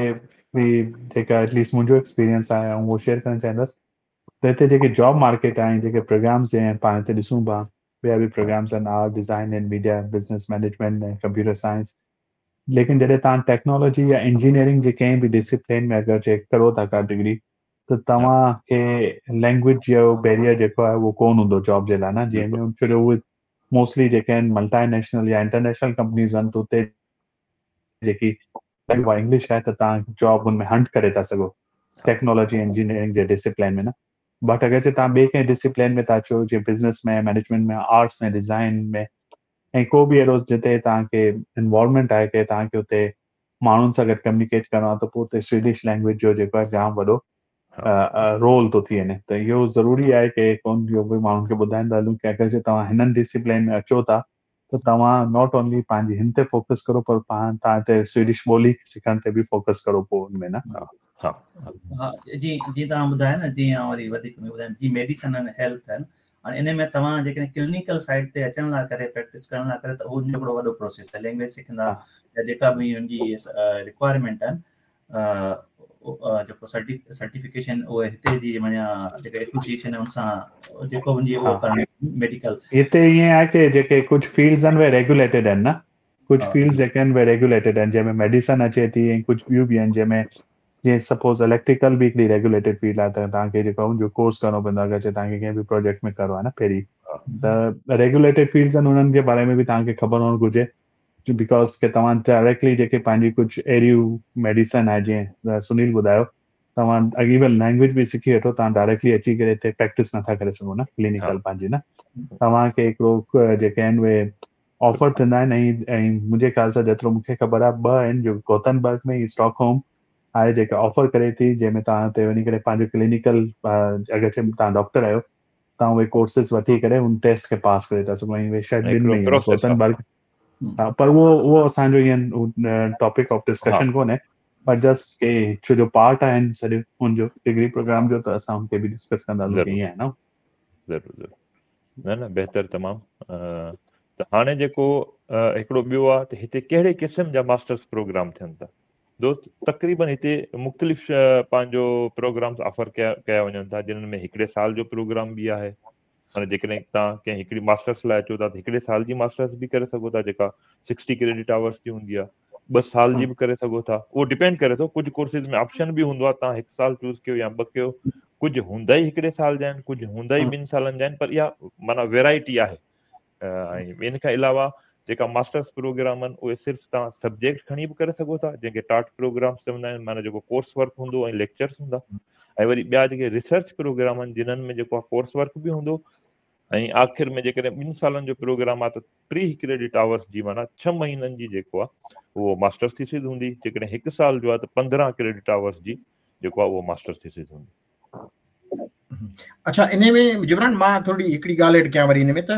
هي جيڪا ايٽ ليسٽ منهنجو ايڪسپيرينس آهي آئون اهو شيئر ڪرڻ چاهيندس ته هتي جيڪي جاب مارڪيٽ آهي جيڪي پروگرامز جيئن پاڻ هتي ڏسون پيا ٻيا به پروگرامز آهن art design and media business management ۽ computer science ليڪن جڏهن توهان ٽيڪنالاجي يا انجنيئرنگ جي ڪنهن به ڊسيپلين ۾ اگر چيڪ ڪرو ٿا ڪا ڊگري ته توهان کي لينگويج جو بيريئر جيڪو آهي اهو ڪون هوندو جاب جي لاء نه جنهن ۾ ڇو جو اهي موسٽلي جيڪي آهن ملٽي نيشنل يا انٽرنيشنل ڪمپنيز آهن ته اتي جيڪي اها انگلش آهي ته توهان جاب ان ۾ هنٽ ڪري ٿا سگهو ٽيڪنالاجي انجنيئرنگ جي ڊسيپلين ۾ نه بٽ اگر جي توهان ٻئي ڪنهن ڊسيپلين ۾ ٿا اچو جيئن بزنس ۾ مينيجمينٽ ۾ آرٽس ۾ ڊزائن ۾ ۽ ڪو به اهڙو جتي توهان کي انوالومينٽ آهي ڪي توهان کي اتي ماڻهن سان گڏ ڪميونيڪيٽ ڪرڻو آهي ته پوء اتي سويڊش لينگويج جو جيڪو آهي جام وڏو رول ٿو ٿي وڃي ته اهو ضروري آهي ڪي ڪون اهو به ماڻهن کي ٻڌائيندا هلون ڪي اگر جي توهان هنن ڊسيپلين ۾ اچو ٿا ته توهان not only پنهنجي هن تي فوڪس ڪرو پر پاڻ توهان هتي سويڊش ٻولي سکڻ تي به فوڪس ڪرو پوء ان ۾ نه. ها ها جي جي توهان ٻڌايو نه جي آئون وري وڌيڪ ٻڌايان جي ميڊيسن اينڊ هيلٿ آهن هاڻي ان ۾ توهان جيڪڏهن ڪلينيڪل سائيڊ تي اچڻ لاء ڪري پريڪٽس ڪرڻ لاء ڪري ته اهو هڪڙو وڏو پروسيس آهي لينگويج سکندا يا جيڪا به ان جي رڪوائرمينٽ آهن جيڪو سرٽيفڪيشن اهي هتي جي معنيٰ جيڪا ايسوسيئيشن آهي ان سان جيڪو ان جي اهو ڪرڻ ميڊيڪل هتي ائين آهي ڪي جيڪي ڪجهه فيلڊز آهن اهي ريگوليٽيڊ آهن نه ڪجهه فيلڊز جيڪي آهن اهي ريگوليٽيڊ آهن جنهن ۾ ميڊيسن اچي ٿي ۽ ڪجهه ٻيون به آهن جنهن ۾ جيئن سپوز اليڪٽريڪل به هڪڙي ريگوليٽيڊ فيلڊ آهي ته توهان کي جيڪو ان جو ڪورس ڪرڻو پوندو آهي اگر توهان کي ڪنهن به پروجيڪٽ ۾ ڪرڻو آهي نه پهرين ته ريگوليٽيڊ فيلڊس آهن انهن جي باري ۾ به توهان کي خبر هئڻ گهرجي because ڪي توهان ڊائريڪٽلي جيڪي پنهنجي ڪجهه اهڙيون ميڊيسن آهي جيئن سنيل ٻڌايو توهان ايون لينگويج به سکي وٺو توهان ڊائريڪٽلي اچي ڪري هتي پريڪٽس نٿا ڪري سگهو نه ڪلينيڪل پنهنجي نه توهان کي هڪڙو جيڪي آهن اهي آفر ٿيندا آهن ۽ ۽ منهنجي خيال سان جيترو مونکي خبر آهي ٻه آهن جو گوتنبرگ ۾ اسٽاڪ هوم آهي جيڪا آفر ڪري ٿي جنهن ۾ توهان هتي وڃي ڪري پنهنجو ڪلينيڪل اگر توهان ڊاڪٽر آهيو توهان اهي ڪورسز وٺي ڪري ان ٽيسٽ کي پاس ڪري ٿا سگهو ۽ اهي شايد ٻن ۾ ئي گوتنبرگ ها پر اهو اهو اسان جو ائين ٽاپڪ آف ڊسڪشن ڪونهي پر جسٽ ڪي ڇو جو پارٽ آهن سڄو ان جو ڊگري پروگرام جو ته اسان ان کي به ڊسڪس ڪنداسين ڪيئن آهي نه ضرور ضرور نه نه بهتر تمام ته هاڻي جيڪو هڪڙو ٻيو آهي ته هتي ڪهڙي قسم جا ماسٽرس پروگرام ٿين ٿا دوست تقريبن هتي مختلف پنهنجو پروگرامز آفر ڪيا ڪيا وڃن ٿا جنھن ۾ هڪڙي سال جو پروگرام به آهي معنيٰ جيڪڏهن توهان ڪنهن هڪڙي ماسٽرس لاء اچو ٿا ته هڪڙي سال جي ماسٽرس به ڪري سگهو ٿا جيڪا سڪسٽي ڪريڊٽ آورس جي هوندي آهي ٻه سال جي به ڪري سگهو ٿا اهو ڊپينڊ ڪري ٿو ڪجهه ڪورسز ۾ آپشن به هوندو آهي توهان هڪ سال چوز ڪيو يا ٻه ڪيو ڪجهه هوندا ئي هڪڙي سال جا آهن ڪجهه هوندا ئي ٻن سالن جا آهن پر اها معنيٰ ويرائٽي آهي ۽ ان کان علاوه جيڪا ماسٽرس پروگرام آهن اهي صرف توهان سبجيڪٽ کڻي به ڪري سگهو ٿا جنهن کي ٽاٽ پروگرامس چوندا آهن معنيٰ جيڪو ڪورس ورڪ هوندو ۽ ليڪچرس هوندا ۽ وري ٻيا جيڪي ريسرچ پروگرام آهن جنهن ۾ جيڪو ڪورس ورڪ به هوندو ۽ آخر ۾ جيڪڏهن ٻن سالن جو پروگرام آهي ته 30 ڪريڊٽ آورس جي معنيٰ 6 مهينن جي جيڪو آهي اهو ماسٽرس ٿيسز هوندي جيڪڏهن هڪ سال جو آهي ته 15 ڪريڊٽ آورس جي جيڪو آهي اهو ماسٽرس ٿيسز هوندي اڇا انهي ۾ جبران مان ٿوري هڪڙي ڳالهه ايڊ ڪيان وري ان ۾ ته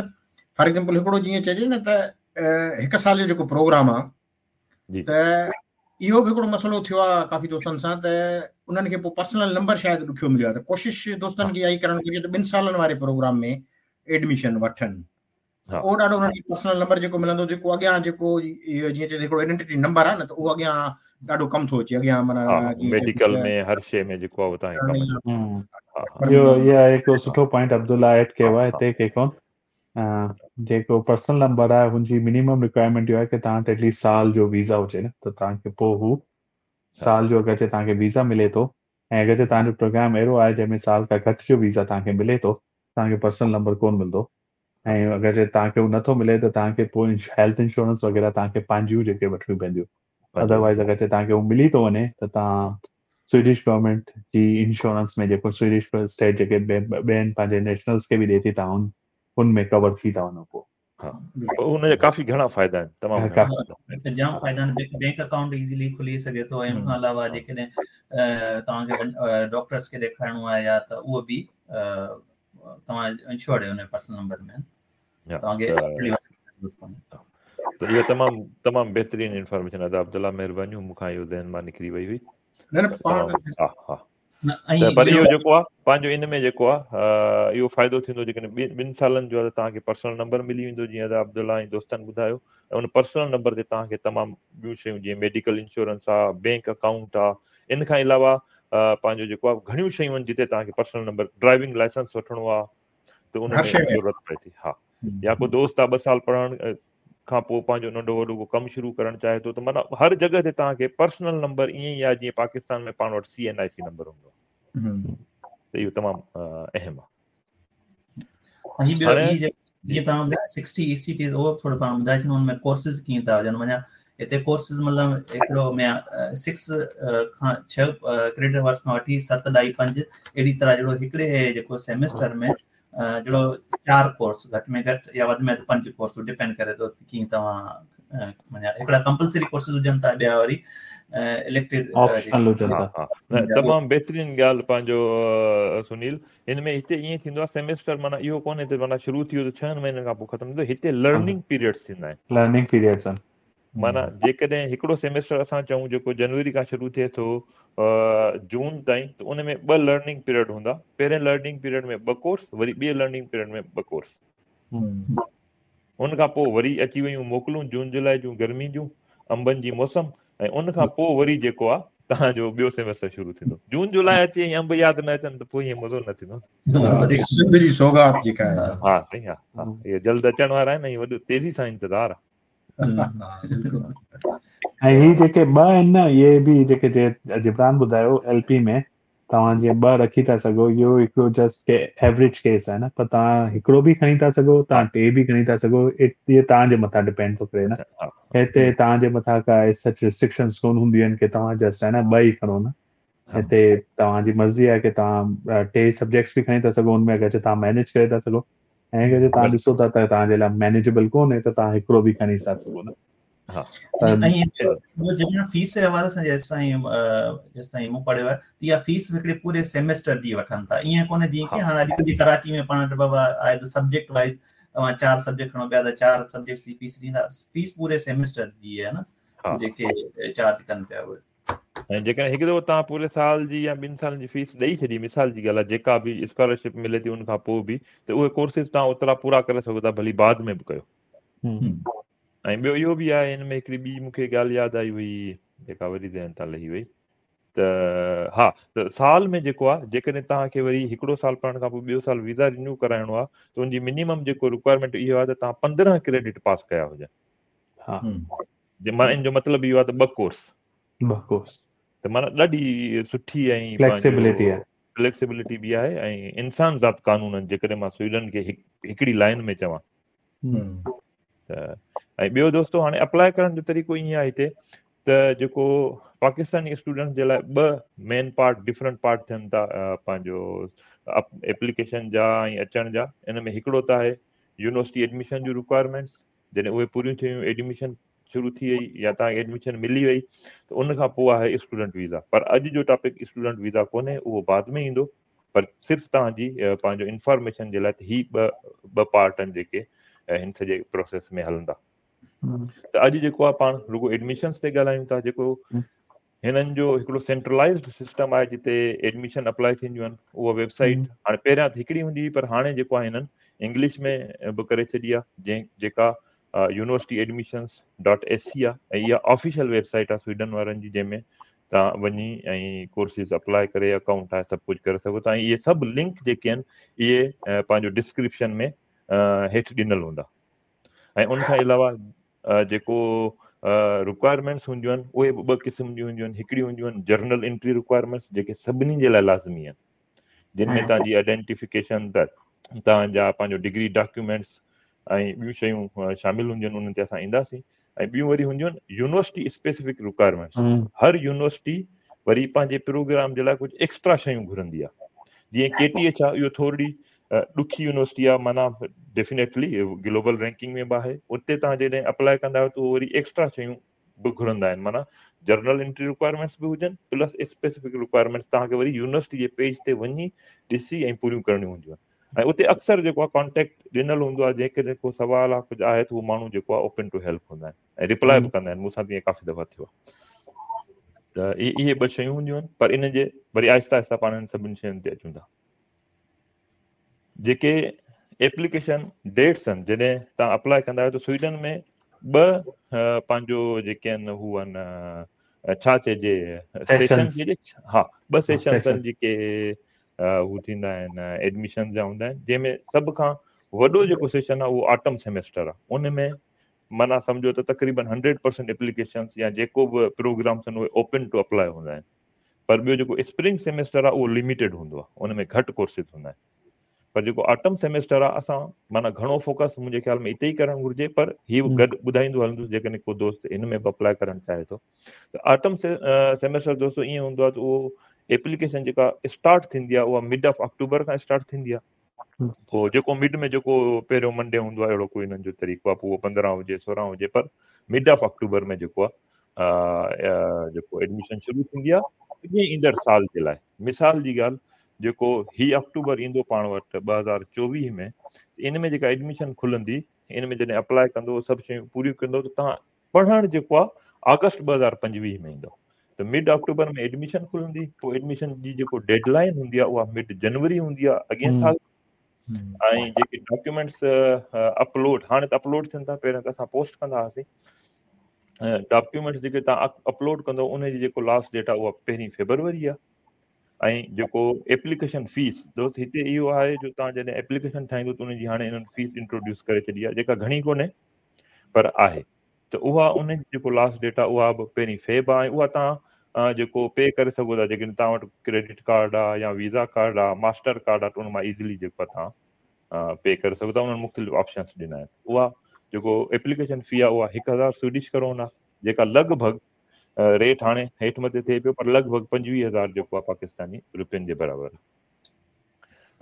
فار ايگزامپل هڪڙو جيئن چئجي نه ته هڪ سال جو جيڪو پروگرام آ ته اهو به هڪڙو مسئلو ٿيو آ ڪافي دوستن سان ته انهن کي پوء پرسنل نمبر شايد ڏکيو مليو آ ته ڪوشش دوستن کي اها ئي ڪرڻ گهرجي ته ٻن سالن واري پروگرام ۾ ايڊميشن وٺن اهو ڏاڍو انهن کي پرسنل نمبر جيڪو ملندو جيڪو اڳيان جيڪو جيئن چئجي هڪڙو آئيڊينٽي نمبر آهي نه ته اهو اڳيان ڏاڍو ڪم ٿو اچي اڳيان معنيٰ ميڊيڪل ۾ هر شيء ۾ جيڪو آهي تان کي ڪم اهو اها هڪ سٺو پوائنٽ عبدالله ايڊ ڪيو آهي هتي ڪي ڪون جيڪو پرسنل نمبر آهي هن جي منيمم رڪوائرمينٽ اهو آهي ڪي توهان وٽ ايٽليسٽ سال جو ويزا هجي نه ته توهان کي پوء هو سال جو اگر توهان کي ويزا ملي ٿو ۽ اگر توهان جو پروگرام اهڙو آهي جنهن ۾ سال کان گهٽ جو ويزا توهان کي ملي ٿو توهان کي پرسنل نمبر ڪون ملندو ۽ اگر جي توهان کي هو نٿو ملي ته توهان کي پوء هيلٿ انشورنس وغيره توهان کي پنهنجيون جيڪي وٺڻيون پونديون ادروائز اگر جي توهان کي هو ملي ٿو وڃي ته توهان سوئيڊش گورنمينٽ جي انشورنس ۾ جيڪو سوئيڊش اسٽيٽ جيڪي ٻين پنهنجي نيشنلز کي به ڏي ٿي توهان ان ۾ ڪور ٿي ٿا وڃو پوء ها ان جا ڪافي گهڻا فائدا آهن تمام گهڻا جام فائدا آهن بينڪ اڪائونٽ ايزيلي کلي سگهي ٿو ۽ ان کان علاوه جيڪڏهن توهان کي ڊاڪٽرس کي ڏيکارڻو آهي يا ته اهو به توهان انشورڊ آهيو ان پرسنل نمبر ۾ توهان کي ته اهو تمام تمام بهترين انفارميشن ادا عبدالله مهربانيون مون کان اهو ذهن مان نڪري وئي هئي نه نه پاڻ ها ها پر اهو جيڪو آهي پنهنجو ان ۾ جيڪو آهي اهو فائدو ٿيندو جيڪڏهن ٻن سالن جو آهي ته توهان کي پرسنل نمبر ملي ويندو جيئن ادا عبدالله ۽ دوستن ٻڌايو ۽ ان پرسنل نمبر تي توهان کي تمام ٻيون شيون جيئن ميڊيڪل انشورنس آهي بينڪ اڪائونٽ آهي ان کان علاوه پنهنجو جيڪو آهي گهڻيون شيون آهن جتي توهان کي پرسنل نمبر ڊرائيونگ لائسنس وٺڻو آهي ته ان ۾ ضرورت پئي ٿي ها يا ڪو دوست آهي ٻه سال پڙهڻ کان پوء پنهنجو ننڍو وڏو ڪو ڪم شروع ڪرڻ چاهي ٿو ته معنيٰ هر جڳهه تي توهان کي پرسنل نمبر ائين ئي آهي جيئن پاڪستان ۾ پاڻ وٽ سي اين آء سي نمبر هوندو آهي ته اهو تمام اهم آهي ۽ ٻيو هي جيئن توهان ٻڌايو 60 اي سي ٽي اهو ٿورو پاڻ ٻڌائي ڇڏو ان ۾ ڪورسز ڪيئن ٿا هجن معنيٰ هتي ڪورسز مطلب هڪڙو ۾ 6 کان 6 ڪريڊٽ آورس کان وٺي 7 ڏائي 5 اهڙي طرح جهڙو هڪڙي جيڪو سيمسٽر ۾ جهڙو چار ڪورس گهٽ ۾ گهٽ يا وڌ ۾ وڌ پنج ڪورس ڊپينڊ ڪري ٿو ڪيئن توهان معنيٰ هڪڙا ڪمپلسري ڪورسز هجن ٿا ٻيا وري اليڪٽو آپشنل هجن ٿا تمام بهترين ڳالهه پنهنجو سنيل هن ۾ هتي ائين ٿيندو آهي سيمسٽر معنيٰ اهو ڪونهي ته معنيٰ شروع ٿي ويو ته ڇهن مهينن کان پوء ختم ٿيندو هتي لرننگ پيريڊس ٿيندا آهن لرننگ پيريڊس آهن معنيٰ جيڪڏهن هڪڙو سيمسٽر اسان چئون جيڪو جنوري کان شروع ٿئي ٿو جون تائين ته ان ۾ ٻه لرننگ پيريڊ هوندا پهرين لرننگ پيريڊ ۾ ٻه ڪورس وري ٻئي لرننگ پيريڊ ۾ ٻه ڪورس ان کان پوء وري اچي ويون موڪلون جون جولاء جون گرمي جون انبن جي موسم ۽ ان کان پوء وري جيڪو آ توهان جو ٻيو سيمسٽر شروع ٿيندو جون جولاء اچي ۽ انب ياد نه اچن ته پوء ائين مزو نه ٿيندو سنڌ جي سوغات جيڪا آهي ها سائين ها ها اهي جلد اچڻ وارا آهن ۽ وڏو تيزي سان انتظار آ. ۽ هي جيڪي ٻه آهن نه اهي به جيڪي جبران ٻڌايو ايل پي ۾ توهان جيئن ٻه رکي ٿا سگهو اهو هڪڙو جسٽ ڪي ايوريج ڪيس آهي نه پر توهان هڪڙو به کڻي ٿا سگهو توهان ٽي به کڻي ٿا سگهو اهي توهان جي مٿان ڊپينڊ ٿو ڪري نه هتي توهان جي مٿان ڪا سچ ريسٽرڪشنز ڪون هونديون آهن ڪي توهان جسٽ آهي نه ٻه ئي کڻو نه هتي توهان جي مرضي آهي ڪي توهان ٽي سبجيڪٽس به کڻي ٿا سگهو ان ۾ اگر توهان مينيج ڪري ٿا سگهو ۽ اگر توهان ڏسو ٿا ته توهان جي لاء مينيجبل ڪونهي ته توهان هڪڙو به کڻي ٿا سگهو نه. ها ۽ ٻيو جڏهن فيس جي حوالي سان جيستائين جيستائين مون پڙهيو آهي ته اها فيس هڪڙي پوري سيمسٽر جي وٺن ٿا ائين ڪونهي جيئن ڪي هاڻي اڄڪلهه جي ڪراچي ۾ پاڻ وٽ بابا آهي ته سبجيڪٽ وائز توهان چار سبجيڪٽ کڻو پيا ته چار سبجيڪٽس جي فيس ڏيندا فيس پوري سيمسٽر جي آهي نه جيڪي چارج ڪن پيا اهي ۽ جيڪڏهن هڪ دفعو توهان پوري سال جي يا ٻن سالن جي فيس ڏئي ڇڏي مثال جي ڳالهه آهي جيڪا به اسڪالرشپ ملي ٿي ان کان پوء به ته اهي ڪورسز توهان اوترا پورا ڪري سگهو ٿا ڀلي بعد ۾ به ڪيو. ۽ ٻيو اهو به آهي هن ۾ هڪڙي ٻي مون کي ڳالهه ياد آئي هئي جيڪا وري ذهن تان لهي وئي ته ها ته سال ۾ جيڪو آهي جيڪڏهن توهان کي وري هڪڙو سال پڙهڻ کان پوء ٻيو سال ويزا رينيو ڪرائڻو آهي ته ان جي منيمم جيڪو رڪوائرمينٽ اهو آهي ته توهان 15 ڪريڊٽ پاس ڪيا هجن. ها معنيٰ ان جو مطلب اهو آهي ته ٻه ڪورس ٻه ڪورس ته معنيٰ ڏاڍي سٺي ۽ فليڪسيبلٽي آهي فليڪسيبلٽي به آهي ۽ انسان ذات قانون آهن جيڪڏهن مان سوئيڊن کي هڪڙي لائن ۾ چوان ته ۽ ٻيو دوستو هاڻي اپلاء ڪرڻ جو طريقو ائين آهي هتي ته جيڪو پاڪستاني اسٽوڊنٽس جي لاء ٻه مين پارٽ ڊفرنٽ پارٽ ٿين ٿا پنهنجو اپليڪيشن جا ۽ اچڻ جا ان ۾ هڪڙو ته آهي يونيورسٽي ايڊميشن جون رڪوائرمينٽس جڏهن اهي پوريون ٿيون ايڊميشن شروع ٿي وئي يا توهان کي ايڊميشن ملي وئي ته ان کان پوء آهي اسٽوڊنٽ ويزا پر اڄ جو ٽاپڪ اسٽوڊنٽ ويزا ڪونهي اهو بعد ۾ ايندو پر صرف توهان جي پنهنجو انفارميشن جي لاء ته هي ٻه ٻه پارٽ آهن جيڪي هن سڄي پروسيس ۾ هلندا ته اڄ جيڪو آهي پاڻ رڳو ايڊميشنس تي ڳالهايون ٿا جيڪو هنن جو هڪڙو سينٽرلائزڊ سسٽم آهي جتي ايڊميشن اپلاء ٿينديون آهن اها ويب سائيٽ هاڻي پهريان ته هڪڙي هوندي هئي پر هاڻي جيڪو آهي هنن انگلش ۾ به ڪري ڇڏي آهي جنهن جيڪا university admissions dot S C آهي ۽ اها آفيشل ويب سائيٽ آهي سوئيڊن وارن جي جنهن ۾ توهان وڃي ۽ ڪورسز اپلاء ڪري اڪائونٽ ٺاهي سڀ ڪجهه ڪري سگهو ٿا ۽ اهي سڀ لنڪ جيڪي آهن اهي پنهنجو ڊسڪرپشن ۾ هيٺ ڏنل هوندا ۽ ان کان علاوه جيڪو رڪوائرمينٽس هونديون آهن اهي به ٻه قسم جون هونديون آهن هڪڙيون هونديون آهن جنرل انٽري رڪوائرمينٽس جيڪي سڀني جي لاء لازمي آهن جن ۾ توهان جي آئيڊينٽيفڪيشن ته توهان جا پنهنجو ڊگري ڊاڪيومينٽس ۽ ٻيون شيون شامل هونديون آهن انهن تي اسان اينداسين ۽ ٻيون وري هونديون آهن يونيورسٽي اسپيسفڪ رڪوائرمينٽس هر يونيورسٽي وري پنهنجي پروگرام جي لاء ڪجهه ايڪسٽرا شيون گهرندي آهي جيئن ڪي ٽي ايڇ آهي اهو ٿورڙي ڏکي يونيورسٽي آهي معنيٰ ڊيفينيٽلي گلوبل رينڪنگ ۾ به آهي اتي توهان جڏهن اپلاء ڪندا آهيو ته وري ايڪسٽرا شيون به گهرندا آهن معنيٰ جنرل انٽري رڪوائرمينٽس به هجن پلس اسپيسفڪ رڪوائرمينٽس توهان کي وري يونيورسٽي جي پيج تي وڃي ڏسي ۽ پوريون ڪرڻيون هونديون آهن ۽ اتي اڪثر جيڪو آهي ڪانٽيڪٽ ڏنل هوندو آهي جيڪڏهن ڪو سوال آهي ڪجهه آهي ته اهو ماڻهو جيڪو آهي اوپن ٽو هيلپ هوندا آهن ۽ رپلاء به ڪندا آهن مون سان تيئن ڪافي دفعا ٿيو آهي ته اهي ٻه شيون هونديون آهن پر ان جي وري آهستي آهستي پاڻ انهن سڀني شين تي اچون ٿا جيڪي ايپليڪيشن ڊيٽس آهن جڏهن توهان اپلاء ڪندا آهيو ته سوئيڊن ۾ ٻه پنهنجو جيڪي آهن هو آهن ڇا چئجي سيشن چئجي ها ٻه سيشنس آهن جيڪي هو ٿيندا آهن ايڊميشن جا هوندا آهن جنهن ۾ سڀ کان وڏو جيڪو سيشن آهي اهو آٽم سيمسٽر آهي ان ۾ معنيٰ سمجهو ته تقريبن 100% ايپليڪيشنس يا جيڪو به پروگرامس آهن اهي اوپن ٽو اپلاء هوندا آهن پر ٻيو جيڪو اسپرنگ سيمسٽر آهي اهو لميٽيڊ هوندو آهي ان ۾ گهٽ ڪورسز هوندا آهن پر جيڪو آٽم سيمسٽر آهي اسان معنيٰ گهڻو فوڪس منهنجي خيال ۾ اتي ئي ڪرڻ گهرجي پر هي به گڏ ٻڌائيندو هلندس جيڪڏهن ڪو دوست هن ۾ به اپلاء ڪرڻ چاهي ٿو ته آٽم سيمسٽر دوستو ائين هوندو آهي ته اهو ايپليڪيشن جيڪا اسٽارٽ ٿيندي آهي اها مڊ آف آڪٽوبر کان اسٽارٽ ٿيندي آهي پوء جيڪو مڊ ۾ جيڪو پهريون منڊي هوندو آهي اهڙو ڪوئي انهن جو طريقو آهي پوء اهو 15 هجي 16 هجي پر مڊ آف آڪٽوبر ۾ جيڪو آهي جيڪو ايڊميشن شروع ٿيندي آهي اڳئين ايندڙ سال جي لاء مثال جي ڳالهه جيڪو هي آڪٽوبر ايندو پاڻ وٽ 2024 ۾ ان ۾ جيڪا ايڊميشن کلندي ان ۾ جڏهن اپلاء ڪندو سڀ شيون پوريون ڪندو ته توهان پڙهڻ جيڪو آهي آگسٽ 2025 ۾ ايندو ته مڊ آڪٽوبر ۾ ايڊميشن کلندي پوء ايڊميشن جي جيڪو ڊيڊ لائن هوندي آهي اها مڊ جنوري هوندي آهي اڳئين سال ۽ جيڪي ڊاڪيومينٽس اپلوڊ هاڻي ته اپلوڊ ٿين ٿا پهريان ته اسان پوسٽ ڪندا هئاسين ڊاڪيومينٽس جيڪي توهان اپلوڊ ڪندو ان جي جيڪو لاسٽ ڊيٽ آهي اها پهرين فيبروري آهي ۽ جيڪو ايپليڪيشن فيس دوست هتي اهو آهي جو توهان جڏهن ايپليڪيشن ٺاهيندو ته ان جي هاڻي انهن فيس انٽروڊيوس ڪري ڇڏي آهي جيڪا گهڻي ڪونهي پر آهي. ته اها ان جي جيڪو لاسٽ ڊيٽ آهي اها به پهرين فيب آهي ۽ اها توهان جيڪو پي ڪري سگهو ٿا جيڪڏهن توهان وٽ ڪريڊٽ ڪارڊ آهي يا ويزا ڪارڊ آهي ماسٽر ڪارڊ آهي ته ان مان ايزلي جيڪو آهي توهان پي ڪري سگهو ٿا. انهن مختلف آپشنس ڏنا آهن. اها جيڪو ايپليڪيشن في آهي اها 1000 سوئيڊش ڪرون آهي، جيڪا لڳ ڀڳ ريٽ هاڻي هيٺ مٿي ٿئي پيو پر لڳ ڀڳ 25,000 جيڪو آهي پاڪستاني روپين جي برابر آهي.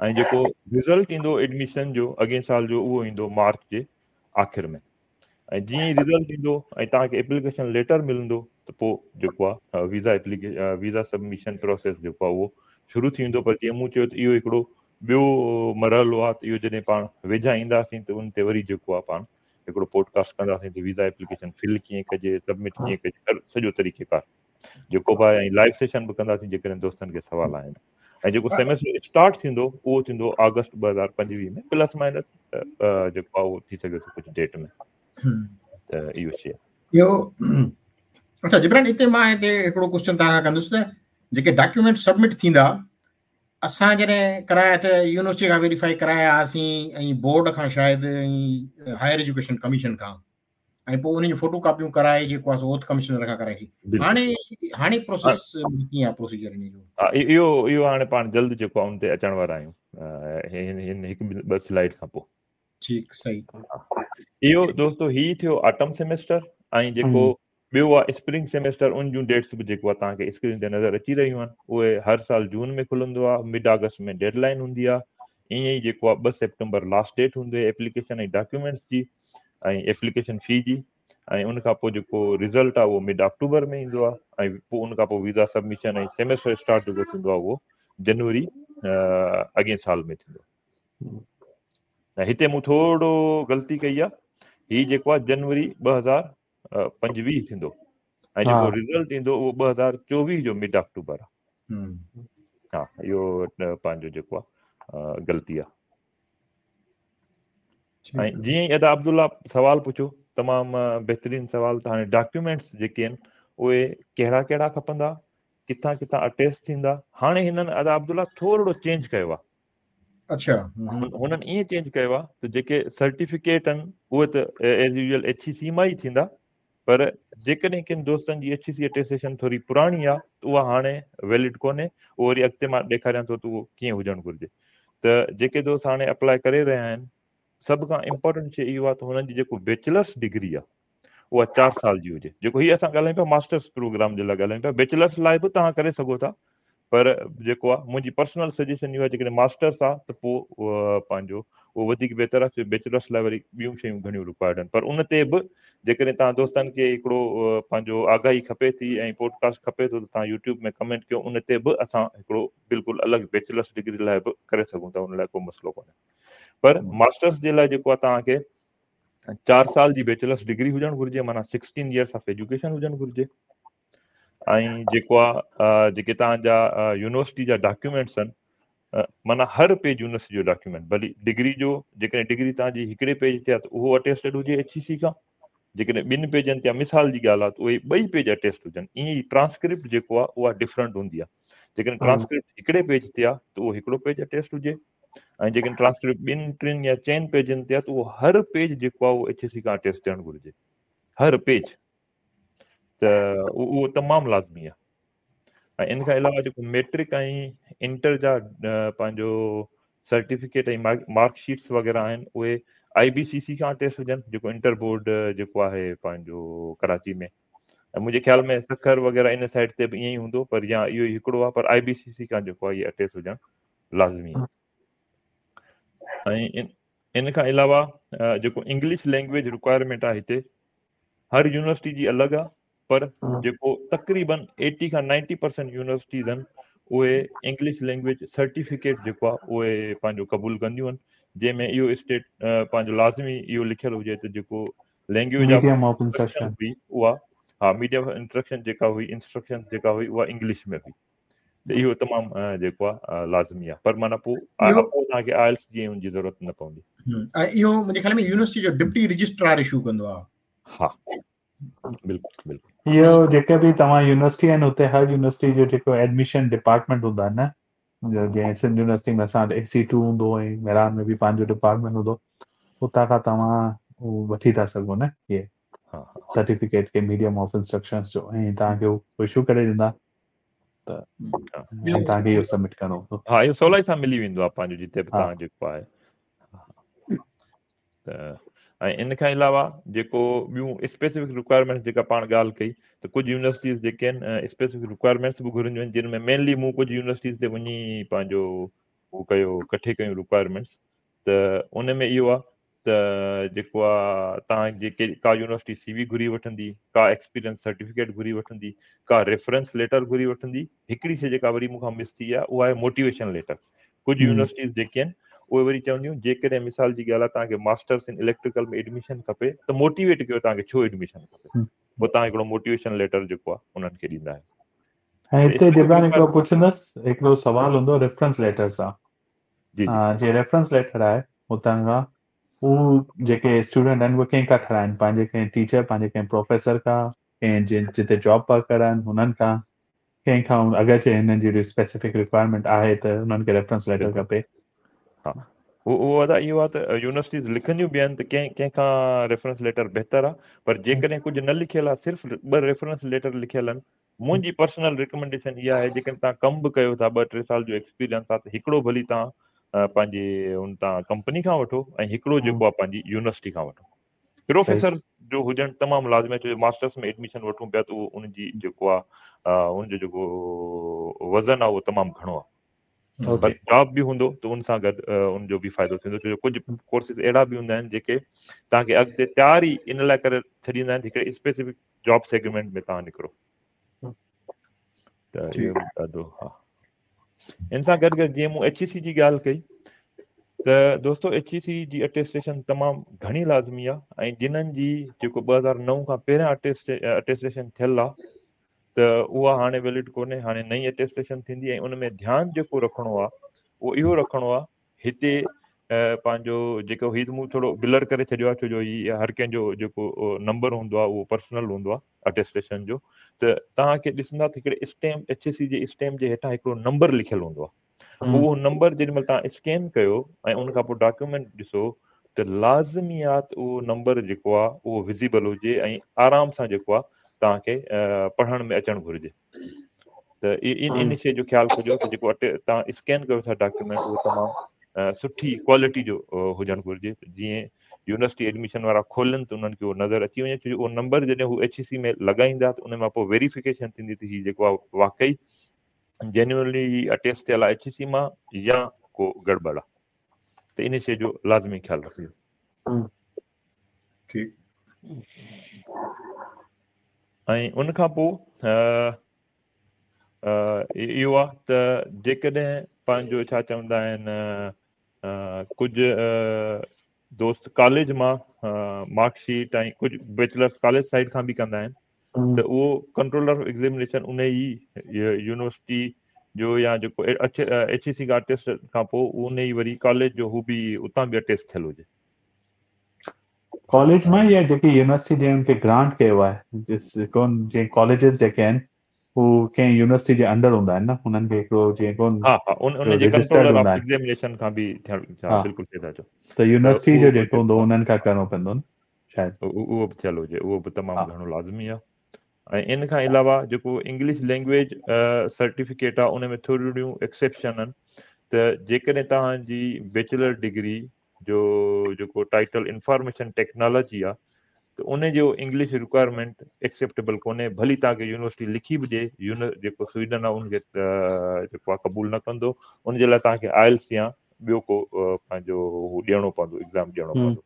۽ جيڪو رزلٽ ايندو ايڊميشن جو اڳئين سال جو اهو ايندو مارچ جي آخر ۾، ۽ جيئن ئي رزلٽ ايندو ۽ توهان کي ايپليڪيشن ليٽر ملندو ته پوء جيڪو آهي visa application visa submission process جيڪو آهي اهو شروع ٿي ويندو. پر جيئن مون چيو ته اهو هڪڙو ٻيو مرحلو آهي ته اهو جڏهن پاڻ ويجها اينداسين ته ان تي وري جيڪو آهي پاڻ هڪڙو پوڊڪاسٽ ڪنداسين ته ويزا ايپليڪيشن فل ڪيئن ڪجي، سبمٽ ڪيئن ڪجي، هر سڄو طريقيڪار جيڪو به آهي، ۽ لائيو سيشن به ڪنداسين جيڪڏهن دوستن کي سوال آهن. ۽ جيڪو سيمسٽر اسٽارٽ ٿيندو اهو ٿيندو آگسٽ 2025 ۾ پلس مائنس جيڪو آهي اهو ٿي سگهي ٿو ڪجهه ڊيٽ ۾، ته اهو شيء اهو. اچها جبران، هتي مان هتي هڪڙو ڪوشچن توهان کان ڪندس ته جيڪي ڊاڪيومينٽ سبمٽ ٿيندا، اسان جڏهن ڪرايا ته يونيورسٽي کان ويريفائي ڪرايا هئاسين ۽ بورڊ کان شايد ۽ هائر ايجوڪيشن ڪميشن کان، ۽ پوء انهن جون فوٽو ڪاپيون ڪرائي جيڪو آهي سو اوٿ ڪمشنر کان ڪرائيسين. هاڻي هاڻي پروسيس ڪيئن آهي، پروسيجر ان جو؟ ها، اهو هاڻي پاڻ جلد جيڪو آهي ان تي اچڻ وارا آهيون هن هن هڪ ٻه سلائيڊ کان پوء. ٺيڪ، صحيح. اهو دوستو هي ٿيو آٽم سيمسٽر، ۽ جيڪو ٻيو آهي spring semester, in June that's به جيڪو آهي توهان کي اسڪرين تي نظر اچي رهيون آهن. اهي هر سال جون ۾ کلندو آهي، مڊ آگسٽ ۾ ڊيڊ لائن هوندي آهي. ائين ئي جيڪو آهي 2 سيپٽمبر لاسٽ ڊيٽ هوندي آهي ايپليڪيشن ۽ ڊاڪيومينٽس جي ۽ ايپليڪيشن في جي، ۽ ان کان پوء جيڪو رزلٽ آهي اهو مڊ آڪٽوبر ۾ ايندو آهي، ۽ پوء ان کان پوء ويزا سبميشن ۽ سيمسٽر اسٽارٽ جيڪو ٿيندو آهي اهو جنوري اڳئين سال ۾ ٿيندو. ۽ هتي مون ٿورو غلطي ڪئي آهي، هي جيڪو آهي جنوري 2025 ٿيندو، ۽ جيڪو رزلٽ ايندو اهو 2024 جو مڊ آڪٽوبر آهي. ها، اهو پنهنجو جيڪو آهي غلطي آهي. ۽ جيئن ئي ادا عبدالله سوال پڇيو، تمام بهترين سوال، ته هاڻي ڊاڪيومينٽس جيڪي آهن اهي ڪهڙا ڪهڙا کپندا، ڪٿان ڪٿان اٽيسٽ ٿيندا. هاڻي هنن ادا عبدالله ٿورڙو چينج ڪيو آهي. اچها. هنن ائين چينج ڪيو آهي ته جيڪي سرٽيفڪيٽ آهن اهي ته as usual H E سي مان ئي ٿيندا، پر جيڪڏهن ڪن دوستن جي ايڇ اي سي اٽيسٽيشن ٿوري پراڻي آهي ته اها هاڻي ويلڊ ڪونهي. اهو وري اڳتي مان ڏيکاريان ٿو ته اهو ڪيئن هجڻ گهرجي. ته جيڪي دوست هاڻي اپلاء ڪري رهيا آهن، سڀ کان امپورٽنٽ شيء اهو آهي ته هنن جي جيڪو بيچلرس ڊگري آهي اها 4 سال جي هجي. جيڪو هي اسان ڳالهايون پيا ماسٽرس پروگرام جي لاء ڳالهايون پيا، بيچلرس لاء به توهان ڪري سگهو ٿا، پر جيڪو آهي منهنجي پرسنل سجيشن اهو آهي جيڪڏهن ماسٽرس آهي ته پوء پنهنجو اهو وڌيڪ بهتر آهي. بيچلرس لاء وري ٻيون شيون گهڻيون رڪوائرڊ آهن، پر ان تي به جيڪڏهن توهان دوستن کي هڪڙو پنهنجو آگاهي کپي ٿي ۽ پوڊڪاسٽ کپي ٿو ته توهان يوٽيوب ۾ ڪمينٽ ڪيو، ان تي به اسان هڪڙو بلڪل الڳ بيچلرس ڊگري لاء به ڪري سگهون ٿا، ان لاء ڪو مسئلو ڪونهي. پر ماسٽرس جي لاء جيڪو آهي توهان کي 4 سال جي بيچلرس ڊگري هجڻ گهرجي، معنيٰ 16 يئرس آف ايجوڪيشن هجڻ گهرجي. ۽ جيڪو آ جيڪي توهان جا يونيورسٽي جا ڊاڪيومينٽس آهن، معنيٰ هر پيج يونيورسٽي جو ڊاڪيومينٽ، ڀلي ڊگري جو، جيڪڏهن ڊگري توهان جي هڪڙي پيج تي آ ته اهو اٽيسٽيڊ هجي ايڇ اي سي کان، جيڪڏهن ٻن پيجن تي آ مثال جي ڳالهه آ ته اهي ٻئي پيج اٽيسٽ هجن. ائين ئي ٽرانسڪرپٽ جيڪو آ اها ڊفرنٽ هوندي آ، جيڪڏهن ٽرانسڪرپٽ هڪڙي پيج تي آ ته اهو هڪڙو پيج اٽيسٽ هجي، ۽ جيڪڏهن ٽرانسڪرپٽ ٻن ٽن يا چئن پيجن تي آ ته اهو هر پيج جيڪو آ اهو ايڇ اي سي کان اٽيسٽ ٿيڻ گهرجي، هر پيج. ته اهو تمام لازمي آهي. ۽ ان کان علاوه جيڪو ميٽرڪ ۽ انٽر جا پنهنجو سرٽيفڪيٽ ۽ مارڪ شيٽس وغيره آهن اهي آئي بي سي سي کان اٽيسٽ هجن، جيڪو انٽر بورڊ جيڪو آهي پنهنجو ڪراچي ۾، ۽ منهنجي خيال ۾ سکر وغيره ان سائيڊ تي به ائين ئي هوندو، پر يا اهو ئي هڪڙو آهي، پر آئي بي سي سي کان جيڪو آهي اهي اٽيسٽ هجڻ لازمي آهي. ۽ ان کان علاوه جيڪو انگلش لينگويج رڪوائرمينٽ آهي هتي هر يونيورسٽي جي الڳ آهي، پر جيڪو تقريبن 80 کان 90% يونيورسٽيز آهن اهي انگلش لينگويج سرٽيفڪيٽ جيڪو آهي اهي پنهنجو قبول ڪنديون آهن، جنهن ۾ اهو اسٽيٽ پنهنجو لازمي اهو لکيل هجي ته جيڪو لينگويج ميڊيم آف انسٽرڪشن هئي اها، ها، ميڊيم آف انسٽرڪشن جيڪا هئي، انسٽرڪشن جيڪا هئي اها انگلش ۾ هئي، ته اهو تمام جيڪو آهي لازمي آهي. پر معنيٰ پوء توهان کي آئلس جي ان جي ضرورت نه پوندي. ۽ اهو منهنجي خيال ۾ يونيورسٽي جو ڊپٽي رجسٽرار اشو ڪندو آهي. ها بلڪل بلڪل. اهو جيڪي به توهان يونيورسٽي آهن اتي هر يونيورسٽي جو جيڪو ايڊميشن ڊپارٽمينٽ هوندو آهي نه، جيئن سنڌ يونيورسٽي ۾ اسان وٽ اي سي ٽو هوندو ۽ مهراڻ ۾ به پنهنجو ڊپارٽمينٽ هوندو، اتان کان توهان وٺي ٿا سگهو نه اهي. سرٽيفڪيٽ کي ميڊيم آف انسٽرڪشنز جو ۽ توهان کي هو اشو ڪري ڏيندا ته توهان کي اهو سبمٽ ڪرڻو هوندو. ها اهو سولائي سان ملي ويندو آهي پنهنجو جتي به توهان جيڪو آهي ته ۽ ان کان علاوه جيڪو ٻيون اسپيسفڪ رڪوائرمينٽس جيڪا پاڻ ڳالهه ڪئي ته ڪجهه يونيورسٽيز جيڪي آهن اسپيسفڪ رڪوائرمينٽس به گهرنديون آهن جن ۾ مينلي مون ڪجهه يونيورسٽيز تي وڃي پنهنجو هو ڪيو ڪٺي ڪيون رڪوائرمينٽس ته ان ۾ اهو آهي ته جيڪو آ توهان جي ڪا يونيورسٽي سي وي گهري وٺندي ڪا ايڪسپيرينس سرٽيفڪيٽ گهري وٺندي ڪا ريفرنس ليٽر گهري وٺندي هڪڙي شي جيڪا وري مون کان مس ٿي آهي اها آهي موٽيويشن ليٽر ڪجهه يونيورسٽيز جيڪي آهن اهي وري چونديون جيڪڏهن مثال جي ڳالهه آهي توهان کي ماسٽرس ان اليڪٽريڪل ۾ ايڊميشن کپي ته موٽيويٽ ڪيو توهان کي ڇو ايڊميشن کپي پوء توهان هڪڙو موٽيويشن ليٽر جيڪو آهي انهن کي ڏيندا آهيو. ۽ هتي جبران هڪڙو پڇندس هڪڙو سوال هوندو ريفرنس ليٽر سان جي جي جي ريفرنس ليٽر آهي اتان کان هو جيڪي اسٽوڊنٽ آهن اهي ڪنهن کان ٺهرائن پنهنجي ڪنهن ٽيچر پنهنجي ڪنهن پروفيسر کان ڪنهن جن جتي جاب ورڪر آهن هنن کان ڪنهن کان اگر چي هنن جي اسپيسفڪ رڪوائرمينٽ آهي ته هنن کي ريفرنس ليٽر کپي. ها اهو ادا اهو آهي ته يونيورسٽيز لکنديون به آهن ته ڪنهن ڪنهن کان ريفرنس ليٽر بهتر آهي پر جيڪڏهن ڪجهه نه لکيل آهي صرف ٻه ريفرنس ليٽر لکيل آهن منهنجي پرسنل ريڪمينڊيشن اها آهي جيڪڏهن توهان ڪم به ڪيو ٿا ٻه ٽي سال جو ايڪسپيرينس آهي ته هڪڙو ڀلي توهان پنهنجي ان تان ڪمپني کان وٺو ۽ هڪڙو جيڪو آهي پنهنجي يونيورسٽي کان وٺو پروفيسر جو هجڻ تمام لازمي آهي ڇو جو ماسٽرس ۾ ايڊميشن وٺون پيا ته اهو ان جي جيڪو آهي ان جو جيڪو وزن آهي اهو تمام گهڻو آهي پر جاب به هوندو ته ان سان گڏ ان جو به فائدو ٿيندو ڇو جو ڪجهه ڪورسز اهڙا به هوندا آهن جيڪي توهان کي اڳتي تيار ئي ان لاء ڪري ڇڏيندا آهن هڪڙي اسپيسفڪ جاب سيگمينٽ ۾ توهان نڪرو ته اهو ڏاڍو ها ان سان گڏ گڏ جيئن مون ايڇ اي سي جي ڳالهه ڪئي ته دوستو ايڇ اي سي جي اٽيسٽيشن تمام گهڻي لازمي آهي ۽ جنن جي جيڪو 2009 کان پهريان اٽيسٽيشن ٿيل آهي ته اها هاڻي ويلڊ ڪونهي هاڻي نئين اٽيسٽيشن ٿيندي ۽ ان ۾ ڌيان جيڪو رکڻو آهي اهو اهو رکڻو آهي هتي پنهنجو جيڪو هي مون ٿورو بلر ڪري ڇڏيو آهي ڇو جو هي هر ڪنهن جو جيڪو نمبر هوندو آهي اهو پرسنل هوندو آهي اٽيسٽيشن جو ته توهان کي ڏسندا ته هڪڙي اسٽيمپ ايڇ اي سي جي اسٽيمپ جي هيٺان هڪڙو نمبر لکيل هوندو آهي اهو نمبر جيڏي مهل توهان اسڪين ڪيو ۽ ان کان پوء ڊاڪيومينٽ ڏسو ته لازمي آهي ته اهو نمبر جيڪو آهي اهو وزيبل هجي ۽ آرام سان جيڪو آهي توهان کي پڙهڻ ۾ اچڻ گهرجي ته ان ان شيء جو خيال ڪجو ته جيڪو اٽي توهان اسڪين ڪيو ٿا ڊاڪيومينٽ اهو تمام سٺي ڪوالٽي جو هجڻ گهرجي جيئن يونيورسٽي ايڊميشن وارا کولن ته انهن کي اهو نظر اچي وڃي ڇو جو اهو نمبر جڏهن هو ايڇ اي سي ۾ لڳائيندا ته ان مان پوء ويريفڪيشن ٿيندي ته هي جيڪو آهي واقعي جينيونلي هي اٽيسٽ ٿيل آهي ايڇ اي سي مان يا ڪو گڙٻڙ آهي ته ان شيء جو لازمي خيال رکجو. ٺيڪ. ۽ ان کان پوء اهو آهي ته جيڪڏهن پنهنجو ڇا چوندا آهن ڪجهه دوست ڪاليج مان مارڪ شيٽ ۽ ڪجهه بيچلرس ڪاليج سائيڊ کان به ڪندا آهن ته اهو ڪنٽرولر آف ايگزامينيشن ان ئي يونيورسٽي جو يا جيڪو ايڇ اي سي کان اٽيسٽ کان پوء ان ئي وري ڪاليج جو هو به اتان به اٽيسٽ ٿيل هجي. ڪاليج مان يا جيڪي يونيورسٽي جنهن کي گرانٽ ڪيو آهي جس ڪون جيئن ڪاليجز جيڪي آهن هو ڪنهن يونيورسٽي جي انڊر هوندا آهن نه هنن کي هڪڙو جيئن ڪون ها ها ان ان جي رجسٽرڊ ڪنٽرولر هوندا آف آهن ايگزامينيشن کان به ٿيڻ ها ها بلڪل صحيح ٿا چئو ته ته يونيورسٽي اهو جو به جيڪو هوندو انهن کان ڪرڻو پوندو نه شايد اهو به ٿيل هجي اهو به تمام ها گهڻو لازمي آهي ۽ ان کان علاوه جيڪو انگلش لينگويج سرٽيفڪيٽ آهي ان ۾ ٿورڙيون ايڪسيپشن آهن ته جيڪڏهن توهان جي بيچلر ڊگري جو جيڪو ٽائيٽل انفارميشن ٽيڪنالاجي آ ته ان جو انگلش رڪوائرمينٽ ايڪسيپٽيبل ڪونهي ڀلي توهان کي يونيورسٽي لکي به ڏي يون جيڪو سوئيڊن آ ان کي جيڪو آ قبول نه ڪندو ان جي لاء توهان کي آئلس يا ٻيو ڪو پنهنجو هو ڏيڻو پوندو ايگزام ڏيڻو پوندو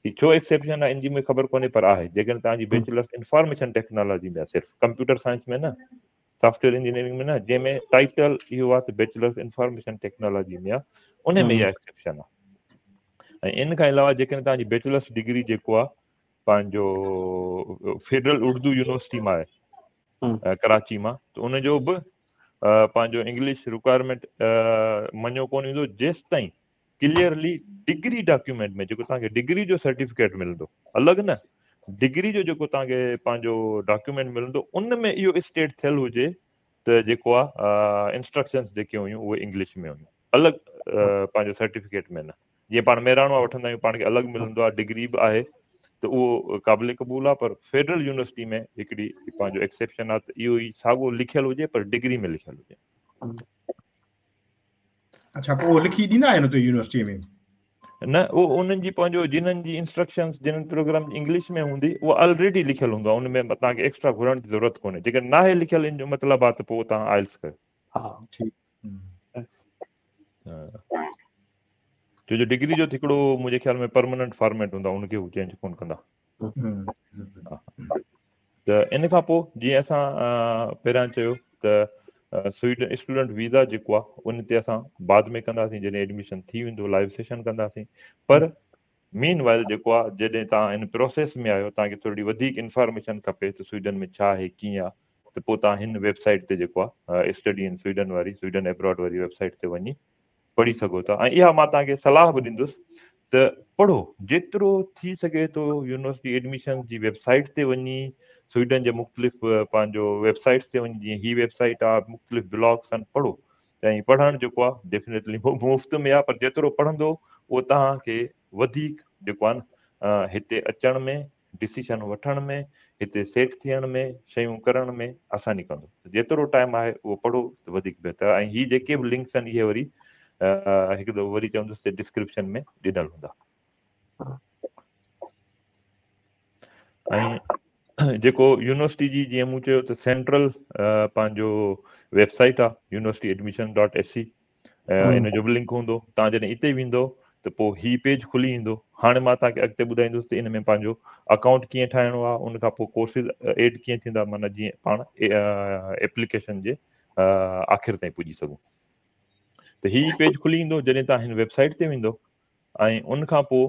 هي ڇو ايڪسيپشن آ ان جي مون کي خبر ڪونهي پر آهي جيڪڏهن توهان جي بيچلرس انفارميشن ٽيڪنالاجي ۾ آ صرف ڪمپيوٽر سائنس ۾ نه سافٽ ويئر انجنيئرنگ ۾ نه جنهن ۾ ٽائيٽل اهو آهي ته بيچلرس انفارميشن ٽيڪنالاجي ۾ آهي ان ۾ اها ايڪسيپشن آهي ۽ ان کان علاوه جيڪڏهن توهان جي بيچلرس ڊگري جيڪو آهي پنهنجو فيڊرل اردو يونيورسٽي مان آهي ڪراچي مان ته ان جو به پنهنجو انگلش رڪوائرمينٽ مڃيو ڪونه ويندو جيستائين ڪليئرلي ڊگري ڊاڪيومينٽ ۾ جيڪو توهان کي ڊگري جو سرٽيفڪيٽ ملندو الڳ نه ڊگري جو جيڪو توهان کي پنهنجو ڊاڪيومينٽ ملندو ان ۾ اهو اسٽيٽ ٿيل هجي ته جيڪو آ انسٽرڪشنز جيڪي هيون اهي انگلش ۾ هيون الڳ پنهنجو سرٽيفڪيٽ ۾ نه جيئن پاڻ مهراڻ مان وٺندا آهيون پاڻ کي الڳ ملندو آهي ڊگري به آهي ته اهو قابل قبول آهي پر فيڊرل يونيورسٽي ۾ هڪڙي پنهنجو ايڪسيپشن آهي ته اهو ئي ساڳو لکيل هجي پر ڊگري ۾ لکيل هجي. اڇا پوء اهو لکي ڏيندا آهن اتي يونيورسٽي ۾؟ نه اهو انهن جي پنهنجو جنهن جي انسٽرڪشنز جنهن پروگرام جي انگلش ۾ هوندي اهو آلريڊي لکيل هوندو آهي ان ۾ توهان کي ايڪسٽرا گهرڻ جي ضرورت ڪونهي جيڪڏهن ناهي لکيل ان جو مطلب آهي ته پوء توهان آئلس ڪيو. ها ٺيڪ. ڇو جو ڊگري جو ته هڪڙو منهنجي خيال ۾ پرماننٽ فارميٽ هوندو آهي ان کي هو چينج ڪونه ڪندا. ته ان کان پوء جيئن اسان پهريان چيو ته سوئيڊن اسٽوڊنٽ ويزا جيڪو آهي ان تي اسان بعد ۾ ڪنداسين جڏهن ايڊميشن ٿي ويندو لائيو سيشن ڪنداسين پر مين وائل جيڪو آهي جڏهن توهان ان پروسيس ۾ آهيو توهان کي ٿوري وڌيڪ انفارميشن کپي ته سوئيڊن ۾ ڇا آهي ڪيئن آهي ته پوء توهان هن ويب سائيٽ تي جيڪو آهي اسٽڊي ان سوئيڊن واري سوئيڊن ابراڊ واري ويب سائيٽ تي وڃي پڙهي سگهو ٿا ۽ اها مان توهان کي صلاح به ڏيندس ته پڙهو جيترو ٿي سگهي ٿو يونيورسٽي ايڊميشن جي ويب سائيٽ تي وڃي سوئيڊن جي مختلف پنهنجو ويب سائيٽس تي وڃي جيئن هي ويب سائيٽ آهي مختلف بلاگس آهن پڙهو ۽ پڙهڻ جيڪو آهي ڊيفنيٽلي مفت ۾ آهي پر جيترو پڙهندو اهو توهان کي وڌيڪ جيڪو آهي نه هتي اچڻ ۾ ڊسيشن وٺڻ ۾ هتي سيٽ ٿيڻ ۾ شيون ڪرڻ ۾ آساني ڪندو. جيترو ٽائيم آهي اهو پڙهو ته وڌيڪ بهتر آهي ۽ هي جيڪي به لنڪس آهن اهي وري هڪ دفعو وري چوندس ته ڊسڪرپشن ۾ ڏنل هوندا. ۽ جيڪو يونيورسٽي جي جيئن مون چيو ته سينٽرل پنهنجو ويب سائيٽ آهي university admission dot S C ان جو به لنڪ هوندو توهان جڏهن اتي ويندو ته پوء هي پيج کلي ايندو هاڻي مان توهان کي اڳتي ٻڌائيندس ته ان ۾ پنهنجو اڪائونٽ ڪيئن ٺاهڻو آهي ان کان پوء ڪورسز ايڊ ڪيئن ٿيندا معنيٰ جيئن پاڻ ايپليڪيشن جي آخر تائين پڄي سگهون ته هي پيج کلي ايندو جڏهن توهان هن ويب سائيٽ تي ويندو ۽ ان کان پوء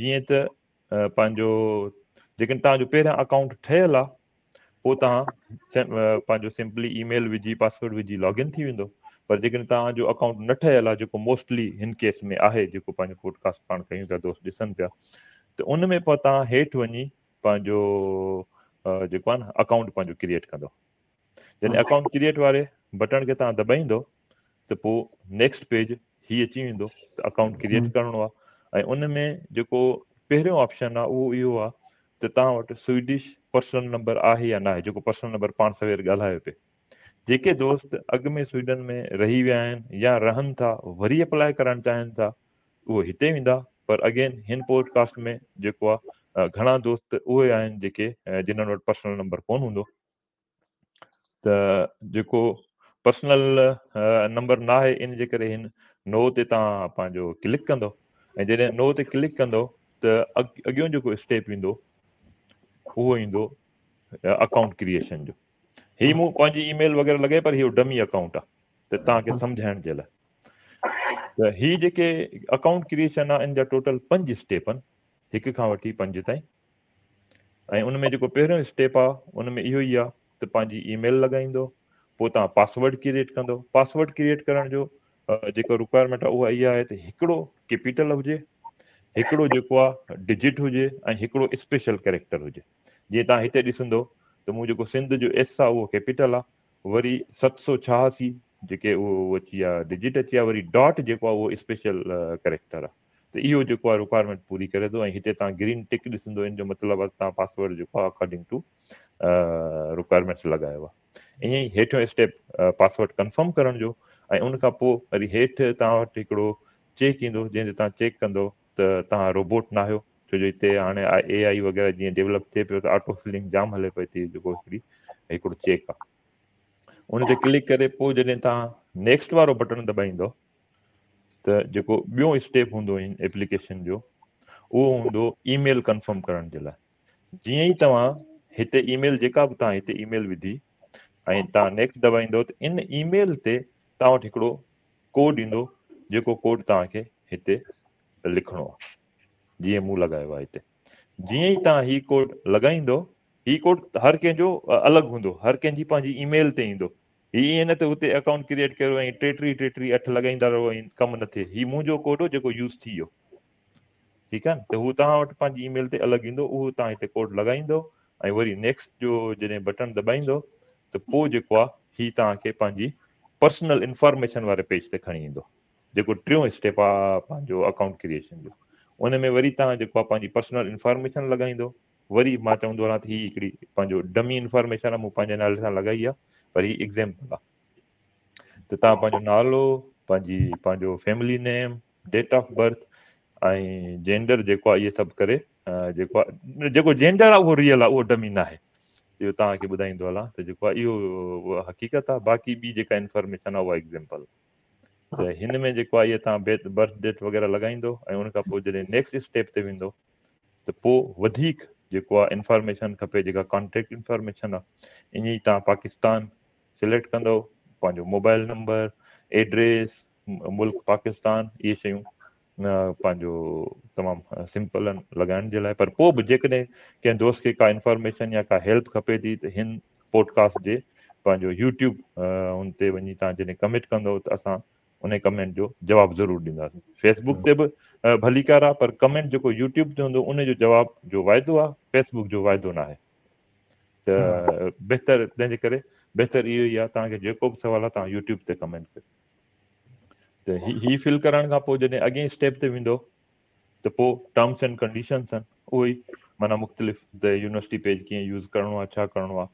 جيئن ته پنهنجو جيڪڏهن توهان جو پهريان اڪائونٽ ٺهيل آهي پوء توهان پنهنجو سمپلي اي ميل وجهي پاسورڊ وجهي لاگ ان ٿي ويندو پر جيڪڏهن توهان جو اڪائونٽ نه ٺهيل آهي جيڪو موسٽلي هن ڪيس ۾ آهي جيڪو پنهنجو پوڊڪاسٽ پاڻ ڪيون پيا دوست ڏسن پيا ته ان ۾ پوء توهان هيٺ وڃي پنهنجو جيڪو آهي نه اڪائونٽ پنهنجو ڪريئيٽ ڪندو جڏهن اڪائونٽ ڪريئيٽ واري بٽڻ کي توهان دٻائيندو ته پوء نيڪسٽ پيج هي اچي ويندو ته اڪائونٽ ڪريئيٽ ڪرڻو آهي ۽ ان ۾ جيڪو پهريون آپشن آهي اهو اهو آهي ته توهان وٽ سوئيڊش پرسنل نمبر آهي يا ناهي جيڪو پرسنل نمبر پاڻ سوير ڳالهايو پئي جيڪي دوست اڳ ۾ سوئيڊن ۾ رهي ويا آهن يا رهن ٿا وري اپلاء ڪرڻ چاهين ٿا اهو هتي ويندا پر اگين هن پوڊ ڪاسٽ ۾ جيڪو آهي گهڻا دوست اهي آهن جيڪي جنهن وٽ پرسنل نمبر ڪون هوندو ته جيڪو پرسنل نمبر نه آهي ان جي ڪري هن نو تي توهان پنهنجو ڪلڪ ڪندو ۽ جڏهن نو تي ڪلڪ ڪندو ته اڳيون جيڪو اسٽيپ ايندو اهو ايندو اڪائونٽ ڪريئيشن جو هي مون پنهنجي اي ميل وغيره لڳائي پر هي ڊمي اڪائونٽ آهي ته توهان کي سمجهائڻ جي لاء ته هي جيڪي اڪائونٽ ڪريئيشن آهي ان جا ٽوٽل پنج اسٽيپ آهن هڪ کان وٺي پنج تائين ۽ ان ۾ جيڪو پهريون اسٽيپ آ ان ۾ اهو ئي آ ته پنهنجي اي ميل لڳائيندو پوء توهان پاسورڊ ڪريئيٽ ڪندو پاسورڊ ڪريئيٽ ڪرڻ جو جيڪو رڪوائرمينٽ آ اها اها آهي ته هڪڙو ڪيپيٽل هجي هڪڙو جيڪو آ ڊجٽ هجي ۽ هڪڙو اسپيشل ڪريڪٽر هجي جيئن توهان هتي ڏسندو ته مون جيڪو سنڌ جو ايس آ اهو ڪيپيٽل آ وري 786 جيڪي اهو اچي ويا ڊجٽ اچي ويا وري ڊاٽ جيڪو آ اهو اسپيشل ڪريڪٽر آ ته اهو جيڪو آهي رڪوائرمينٽ پوري ڪري ٿو ۽ هتي توهان گرين ٽڪ ڏسندو ان جو مطلب آهي توهان پاسورڊ جيڪو آهي اڪارڊنگ ٽو رڪوائرمينٽس لڳايو آهي ائين ئي هيٺيون اسٽيپ پاسورڊ ڪنفرم ڪرڻ جو ۽ ان کان پوء وري هيٺ توهان وٽ هڪڙو چيڪ ايندو جنهن تي توهان چيڪ ڪندو ته توهان روبوٽ نه آهيو ڇو جو هتي هاڻي اي آئي وغيره جيئن ڊيولپ ٿئي پيو ته آٽو فلنگ جام هلي پئي ٿي جيڪو هڪڙي هڪڙو چيڪ آهي ان تي ڪلڪ ڪري پوء جڏهن توهان نيڪسٽ وارو بٽڻ دٻائيندو ته جيڪو ٻيون اسٽيپ هوندو ان ايپليڪيشن جو اهو هوندو اي ميل ڪنفرم ڪرڻ جي لاء جيئن ئي توهان هتي اي ميل جيڪا به توهان هتي اي ميل وڌي ۽ توهان نيڪسٽ دٻائيندو ته ان اي ميل تي توهان وٽ هڪڙو ڪوڊ ايندو جيڪو ڪوڊ توهان کي هتي لکڻو آهي جيئن مون لڳايو آهي هتي جيئن ئي توهان هي ڪوڊ لڳائيندو هي ڪوڊ هر ڪنهن جو الڳ هوندو هر ڪنهن جي پنهنجي اي ميل تي ايندو هي ائين نه ته اتي اڪائونٽ ڪريئيٽ ڪيو ۽ ٽي ٽي ٽي ٽي اٺ لڳائيندا رهو ۽ ڪم نه ٿئي. هي منهنجو ڪوڊ هو جيڪو يوز ٿي ويو. ٺيڪ آهي نه ته هو توهان وٽ پنهنجي اي ميل تي الڳ ايندو اهو توهان هتي ڪوڊ لڳائيندو ۽ وري نيڪسٽ جو جڏهن بٽڻ دٻائيندو ته پوء جيڪو آهي هي توهان کي پنهنجي پرسنل انفارميشن واري پيج تي کڻي ايندو جيڪو ٽيون اسٽيپ آهي پنهنجو اڪائونٽ ڪريئيشن جو. ان ۾ وري توهان جيڪو آهي پنهنجي پرسنل انفارميشن لڳائيندو. وري مان چوندو رهان ته هي هڪڙي پنهنجو ڊمي انفارميشن آهي، مون پنهنجي نالي سان لڳائي آهي، پر هي ايگزامپل آهي. ته توهان پنهنجو نالو، پنهنجي پنهنجو family name, date of birth ۽ gender جيڪو آهي اهي سڀ ڪري جيڪو آهي جيڪو جينڊر آهي اهو ريئل آهي، اهو ڊمي ناهي. اهو توهان کي ٻڌائيندو هلان ته جيڪو آهي اهو حقيقت آهي، باقي ٻي جيڪا انفارميشن آهي اها ايگزامپل. ته هن ۾ جيڪو آهي اهي توهان برٿ ڊيٽ وغيره لڳائيندو ۽ ان کان پوء جڏهن نيڪسٽ اسٽيپ تي ويندو ته پوء وڌيڪ جيڪو آهي انفارميشن کپي، جيڪا ڪانٽيڪٽ انفارميشن آهي، ائين ئي توهان پاڪستان سليڪٽ ڪندو، پنهنجو موبائل نمبر، ايڊريس، ملڪ پاڪستان، اهي شيون پنهنجو تمام سمپل آهن لڳائڻ جي لاء. پر پوء به جيڪڏهن ڪنهن دوست کي ڪا انفارميشن يا ڪا هيلپ کپي ٿي ته هن پوڊڪاسٽ جي پنهنجو يوٽيوب ان تي وڃي توهان جڏهن ڪمينٽ ڪندو ته اسان ان ڪمينٽ جو جواب ضرور ڏينداسين. فيسبوڪ تي به ڀليڪار آهي، پر ڪمينٽ جيڪو يوٽيوب تي هوندو ان جو جواب جو واعدو آهي، فيسبوڪ جو واعدو ناهي. ته بهتر تنهن جي ڪري بهتر اهو ئي آهي توهان کي جيڪو به سوال آهي توهان يوٽيوب تي ڪمينٽ ڪريو. ته هي فل ڪرڻ کان پوء جڏهن اڳئين اسٽيپ تي ويندو ته پوء ٽرمس اينڊ ڪنڊيشنس آهن، اهو ئي معنيٰ مختلف ته يونيورسٽي پيج ڪيئن يوز ڪرڻو آهي، ڇا ڪرڻو آهي.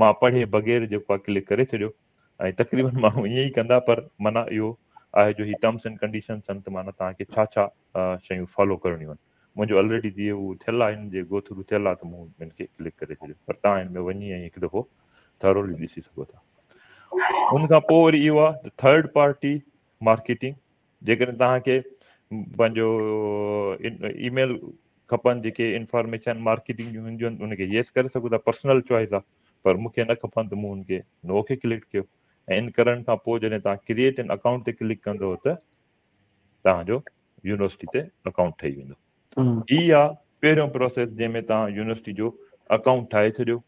مان پڙهي بغير جيڪو آهي ڪلڪ ڪري ڇڏيو ۽ تقريبن ماڻهو ائين ئي ڪندا، پر معنيٰ اهو آهي جو هي ٽرمس اينڊ ڪنڊيشنس آهن ته معنيٰ توهان کي ڇا ڇا شيون فالو ڪرڻيون آهن. منهنجو الريڊي جيئن هو ٿيل آهي، هن جي گو ٿرو ٿيل آهي ته مون هن کي ڪلڪ ڪري ڇڏيو، پر توهان هن ۾ وڃي ۽ هڪ دفعو ٿرولي ڏسي سگهو ٿا. ان کان پوء وري اهو آهي ته ٿرڊ پارٽي مارڪيٽنگ، جيڪڏهن توهان کي پنهنجو اي ميل کپن جيڪي انفارميشن مارڪيٽنگ جون هونديون آهن ان کي يس ڪري سگهو ٿا، پرسنل چوائس آهي، پر مون کي نه کپن ته مون ان کي نو کي ڪلڪ ڪيو ۽ ان ڪرڻ کان پوء جڏهن توهان ڪريئيٽ ان اڪائونٽ تي ڪلڪ ڪندو ته توهان جو يونيورسٽي تي اڪائونٽ ٺهي ويندو. هي آ پهريون پروسيس جنهن ۾ توهان يونيورسٽي جو اڪائونٽ ٺاهي ڇڏيو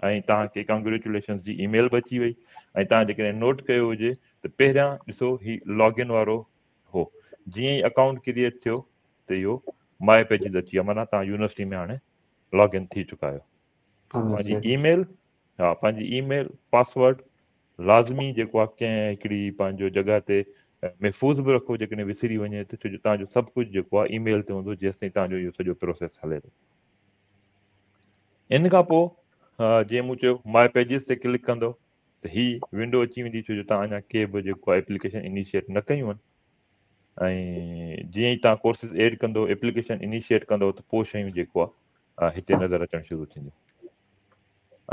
۽ توهان کي ڪانگريچوليشنز جي اي ميل به اچي وئي. ۽ توهان جيڪڏهن نوٽ ڪيو هجي ته پهريان ڏسو هي لاگ ان وارو هو، جيئن ئي اڪائونٽ ڪريئيٽ ٿيو ته اهو ماء پيجز اچي ويا، معنيٰ توهان يونيورسٽي ۾ هاڻي لاگ ان ٿي چڪا آهيو. پنهنجي اي ميل، ها پنهنجي اي ميل پاسورڊ لازمي جيڪو آهي ڪنهن هڪڙي پنهنجو جڳهه تي محفوظ به رکو، جيڪڏهن وسري وڃي ته، ڇو جو توهان جو سڀ ڪجهه جيڪو آهي اي ميل تي هوندو جيستائين توهان جو اهو سڄو پروسيس هلي ٿو. ان کان پوء جيئن مون چيو ماء پيجز تي ڪلڪ ڪندو ته هي ونڊو اچي ويندي، ڇو جو توهان اڃا ڪي به جيڪو آهي ايپليڪيشن انيشيٽ نه ڪيون آهن. ۽ جيئن ئي توهان ڪورسز ايڊ ڪندو، ايپليڪيشن انيشيٽ ڪندو ته پوء شيون جيڪو آهي هتي نظر اچڻ شروع ٿينديون.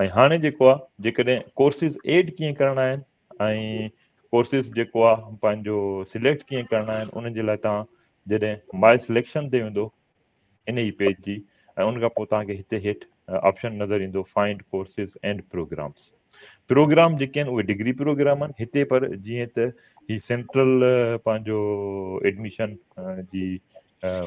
۽ هاڻي جيڪو آهي جيڪڏهن ڪورسز ايڊ ڪيئن ڪرڻا آهن ۽ ڪورسز جيڪو آهي پنهنجو سليڪٽ ڪيئن ڪرڻا آهن، ان جي لاء توهان جڏهن ماء سليڪشن تي ويندو ان ئي پيج جي، ۽ ان کان پوء توهان کي هتي هيٺ آپشن نظر ايندو find courses and programmes. Programme جيڪي آهن اهي ڊگري پروگرام آهن هتي، پر جيئن ته هي سينٽرل پنهنجو ايڊميشن جي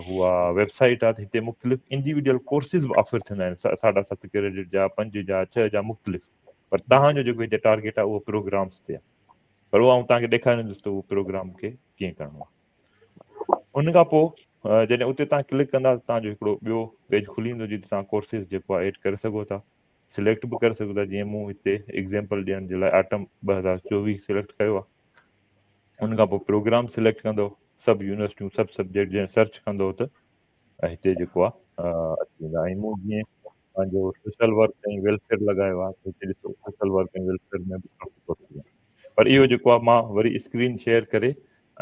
هو ويب سائيٽ آهي ته هتي مختلف انڊيويجول ڪورسز به آفر ٿيندا آهن، 7.5 ڪريڊٽ جا، 5 جا، 6 جا مختلف، پر توهان جو جيڪو هتي ٽارگيٽ آهي اهو پروگرامز تي آهي، پر اهو آئون توهان کي ڏيکاريندس ته اهو پروگرام کي ڪيئن ڪرڻو آهي. ان کان پوء جڏهن اتي توهان ڪلڪ ڪندا ته توهان جو هڪڙو ٻيو پيج کلي ويندو جتي توهان ڪورسز جيڪو آهي ايڊ ڪري سگهو ٿا، سليڪٽ به ڪري سگهو ٿا. جيئن مون هتي ايگزامپل ڏيڻ جي لاء آٽم 2024 سليڪٽ ڪيو آهي. ان کان پوء پروگرام سليڪٽ ڪندو، سڀ يونيورسٽيون سڀ سبجيڪٽ جڏهن سرچ ڪندو ته هتي جيڪو آهي اچي ويندا. ۽ مون جيئن پنهنجو سوشل ورڪ ۽ ويلفيئر لڳايو آهي ته هتي ڏسو سوشل ورڪ ۽ ويلفيئر ۾ به ڪافي ڪورسز آهن. پر اهو جيڪو آهي مان وري اسڪرين شيئر ڪري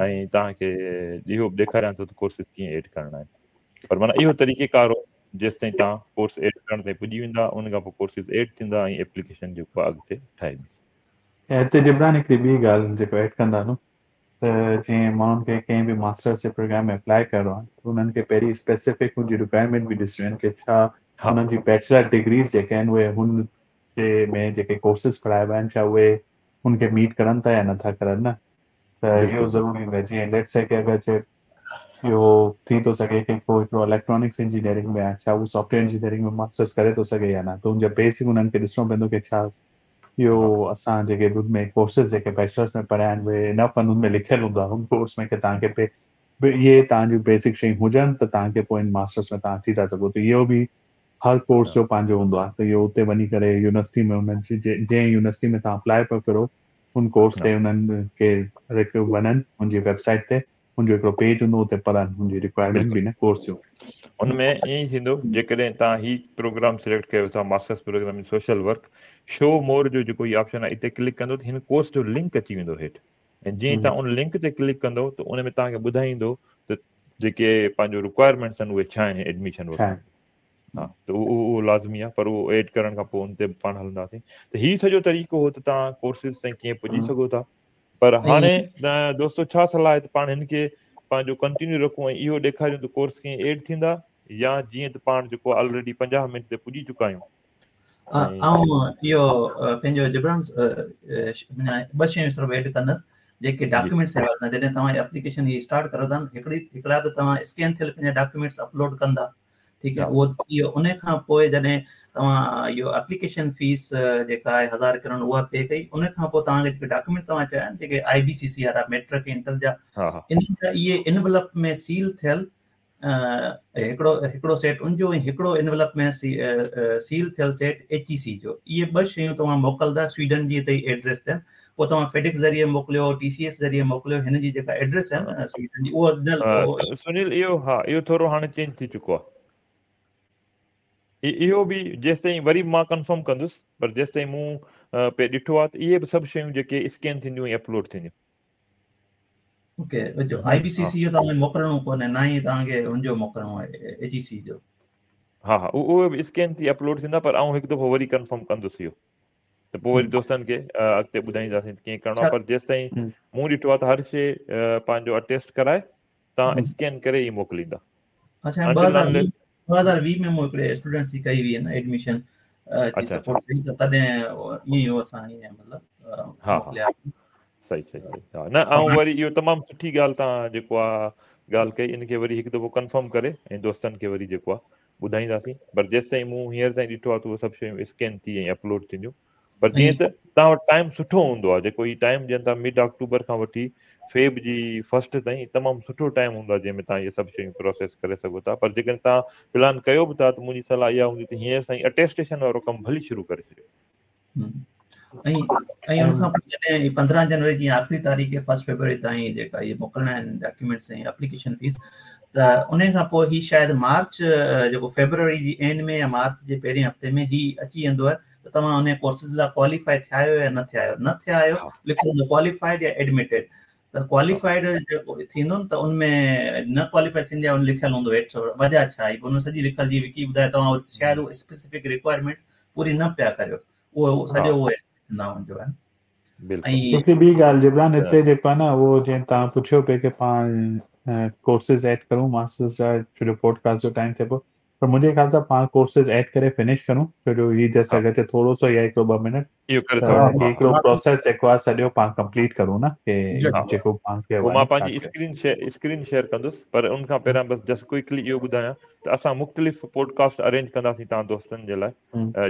۽ توهان کي اهو به ڏيکاريان ٿو ته ڪورسز ڪيئن ايڊ ڪرڻا آهن. پر معنيٰ اهو طريقي ڪار هو جيستائين توهان ڪورس ايڊ ڪرڻ تائين پڄي ويندا، ان کان پوء ڪورسز ايڊ ٿيندا ۽ ايپليڪيشن جيڪو آهي اڳتي ٺاهبي. ۽ هتي جبران هڪڙي ٻي ڳالهه جيڪو ايڊ ڪندا هلون ته جيئن ماڻهن کي ڪنهن به ماسٽرس جي پروگرام ۾ اپلائي ڪرڻو آهي ته انهن کي پهرين اسپيسفڪ ان جي رڪوائرمينٽ به ڏسڻيون آهن ڪي ڇا انهن جي بيچلر ڊگريز جيڪي آهن اهي هن جي ۾ جيڪي ڪورسز پڙهائبا آهن ڇا اهي ان کي ميٽ ڪرن ٿا يا نٿا ڪرن نه، ته اهو ضروري هوندو آهي. جيئن ليٽس سي ڪي اگر چي اهو ٿي ٿو سگهي ڪي ڪو هڪڙو اليڪٽرانڪس انجنيئرنگ ۾ آهي ڇا هو سافٽ ويئر انجنيئرنگ ۾ ماسٽرس ڪري ٿو سگهي يا نه، ته ان جا بيسڪ انهن کي ڏسڻو پوندو ڪي ڇا اهو اسان جيڪي به ان ۾ ڪورسز جيڪي بيچلرس ۾ پڙهيا آهن اهي انف آهن، ان ۾ لکيل هوندو آهي ان ڪورس ۾ ڪي توهان کي پي اهي توهان جون بيسڪ شيون هجن ته توهان کي پوء ان ماسٽرس ۾ توهان اچي ٿا سگهو. ته اهو به هر ڪورس جو پنهنجو هوندو آهي ته اهو اتي وڃي ڪري يونيورسٽي ۾ انهن جي جنهن يونيورسٽي ۾ توهان اپلائي پيا ڪرو ان ڪورس تي انهن کي وڃن ان جي ويب سائيٽ تي هن جو هڪڙو پيج هوندو اتي پڙهن هن جي رڪوائرمينٽ به نه ڪورس جو. ان ۾ ائين ئي ٿيندو جيڪڏهن توهان هي پروگرام سليڪٽ ڪيو ٿا masters program in social work show more جو جيڪو هي آپشن آهي اتي ڪلڪ ڪندو ته هن ڪورس جو لنڪ اچي ويندو هيٺ ۽ جيئن ئي توهان ان لنڪ تي ڪلڪ ڪندو ته ان ۾ توهان کي ٻڌائيندو ته جيڪي پنهنجو رڪوائرمينٽس آهن اهي ڇا آهن ايڊميشن وٺڻ ها ته اهو اهو لازمي آهي پر اهو ايڊ ڪرڻ کان پوء ان تي پاڻ هلنداسين ته هي سڄو طريقو هو ته توهان ڪورسز تائين ڪيئن پڄي سگهو ٿا پر هاڻي دوستو ڇا صلاح آهي ته پاڻ هن کي پنهنجو ڪنٽينيو رکون ۽ اهو ڏيکاريون ته ڪورس ڪيئن ايڊ ٿيندا يا جيئن ته پاڻ جيڪو آلريڊي 50 منٽ تي پڄي چڪا آهيون. آئون اهو پنهنجو جبران ٻه شيون صرف ايڊ ڪندس جيڪي ڊاڪيومينٽس حوالي سان جڏهن توهان اپليڪيشن هي اسٽارٽ ڪريو ٿا هڪڙي هڪڙا ته توهان اسڪين ٿيل پنهنجا ڊاڪيومينٽس اپلوڊ ڪندا ٺيڪ آهي اهو ٿي ويو ان کان پوء جڏهن توهان اهو اپليڪيشن فيس جيڪا آهي 1000 ڪرون اها پي ڪئي ان کان پوء توهان کي جيڪي ڊاڪيومينٽ توهان چيا آهن جيڪي آء بي سي سي وارا ميٽرڪ انٽر جا انهن جا اهي انولپ ۾ سيل ٿيل هڪڙو هڪڙو سيٽ ان جو ۽ هڪڙو انولپ ۾ سيل ٿيل سيٽ ايچ اي سي جو اهي ٻه شيون توهان موڪلدا سويڊن جي هتي ايڊريس تي پوء توهان فيڊڪس ذريعي موڪليو ٽي سي ايس ذريعي موڪليو هن جي جيڪا ايڊريس آهي نه سويڊن جي اهو ڏنل سنيل اهو ها اهو ٿورو هاڻي چينج ٿي چڪو آهي اهو به جيستائين وري مان ڪنفرم ڪندس پر جيستائين مون پي ڏٺو آهي ته اهي به سڀ شيون جيڪي اسڪين ٿينديون ۽ اپلوڊ ٿينديون. اوڪي جو آء بي سي سي جو توهان کي موڪلڻو ڪونهي نه ئي توهان کي ان جو موڪلڻو آهي ايچ اي سي جو. ها ها اهي به اسڪين ٿي اپلوڊ ٿيندا پر آئون هڪ دفعو وري ڪنفرم ڪندس اهو ته پوء وري دوستن کي اڳتي ٻڌائينداسين ته ڪيئن ڪرڻو آهي پر جيستائين مون ڏٺو آهي ته هر شيء پنهنجو اٽيسٽ ڪرائي توهان اسڪين ڪري ئي موڪليندا. اڇا 2020 ۾ مون هڪڙي اسٽوڊنٽس جي ڪئي هئي نه ايڊميشن جي سپورٽ ڪئي ته تڏهن ائين ئي هو اسان ائين مطلب موڪليا. صحيح صحيح صحيح ها نه آئون وري اهو تمام سٺي ڳالهه توهان جيڪو آ ڳالهه ڪئي ان کي وري هڪ دفعو ڪنفرم ڪري ۽ دوستن کي وري جيڪو آ ٻڌائينداسين پر جيستائين مون هينئر تائين ڏٺو آ ته اهي سڀ شيون اسڪين ٿي ۽ اپلوڊ ٿينديون پر جيئن ته توهان وٽ ٽائيم سٺو هوندو آ جيڪو هي ٽائيم ڏين ٿا مڊ آڪٽوبر کان وٺي فيب جي فرسٽ تائين تمام سٺو ٽائيم هوندو آ جنهن ۾ توهان اهي سڀ شيون پروسيس ڪري سگهو ٿا پر جيڪڏهن توهان پلان ڪيو به ٿا ته منهنجي صلاح اها هوندي ته هينئر سان ئي اٽيسٽيشن وارو ڪم ڀلي شروع ڪري ڇڏيو. ۽ ۽ ان کان پوء جڏهن 15 جنوري جي آخري تاريخ فرسٽ فيبروري تائين جيڪا اهي موڪلڻا آهن ڊاڪيومينٽس ۽ اپليڪيشن فيس ته ان کان پوء هي شايد مارچ جيڪو فيبروري جي اينڊ ۾ يا مارچ جي پهرين هفتي ۾ هي اچي ويندو آهي ته توهان ان ڪورسز لاء ڪواليفائي ٿيا آهيو يا نه ٿيا آهيو نه ٿيا آهيو لکيل هوندو ڪواليفائيڊ يا ايڊميٽيڊ ته ڪواليفائيڊ جيڪو ٿيندو نه ته ان ۾ نه ڪواليفائي ٿين جا ان لکيل هوندو هيٺ وجه ڇا آهي ان سڄي لکيل جي وڪي ٻڌايو توهان شايد اهو اسپيسيفڪ رڪوائرمينٽ پوري نه پيا ڪريو اهو سڄو اهو نه هوندو آهي. هڪڙي ٻي ڳالهه جبران هتي جيڪو آهي نه اهو جيئن توهان پڇيو پئي ڪي پاڻ ڪورسز ايڊ ڪرون ماسٽرز جا ڇو جو پوڊڪاسٽ جو ٽائيم ٿئي پيو پر منهنجي خيال سان پاڻ ڪورسز ايڊ ڪري فنش ڪرون ڇو جو هي جسٽ اگر چي ٿورو سو يا هڪڙو ٻه منٽ اهو ڪري ٿا وٺون ها هڪڙو پروسيس جيڪو آهي سڄو پاڻ ڪمپليٽ ڪرون نه ڪي جيڪو پاڻ کي پوء مان پنهنجي اسڪرين شيئر اسڪرين شيئر ڪندس پر ان کان پهريان بس جسٽ ڪوئڪلي اهو ٻڌايان ته اسان مختلف پوڊڪاسٽ ارينج ڪنداسين توهان دوستن جي لاء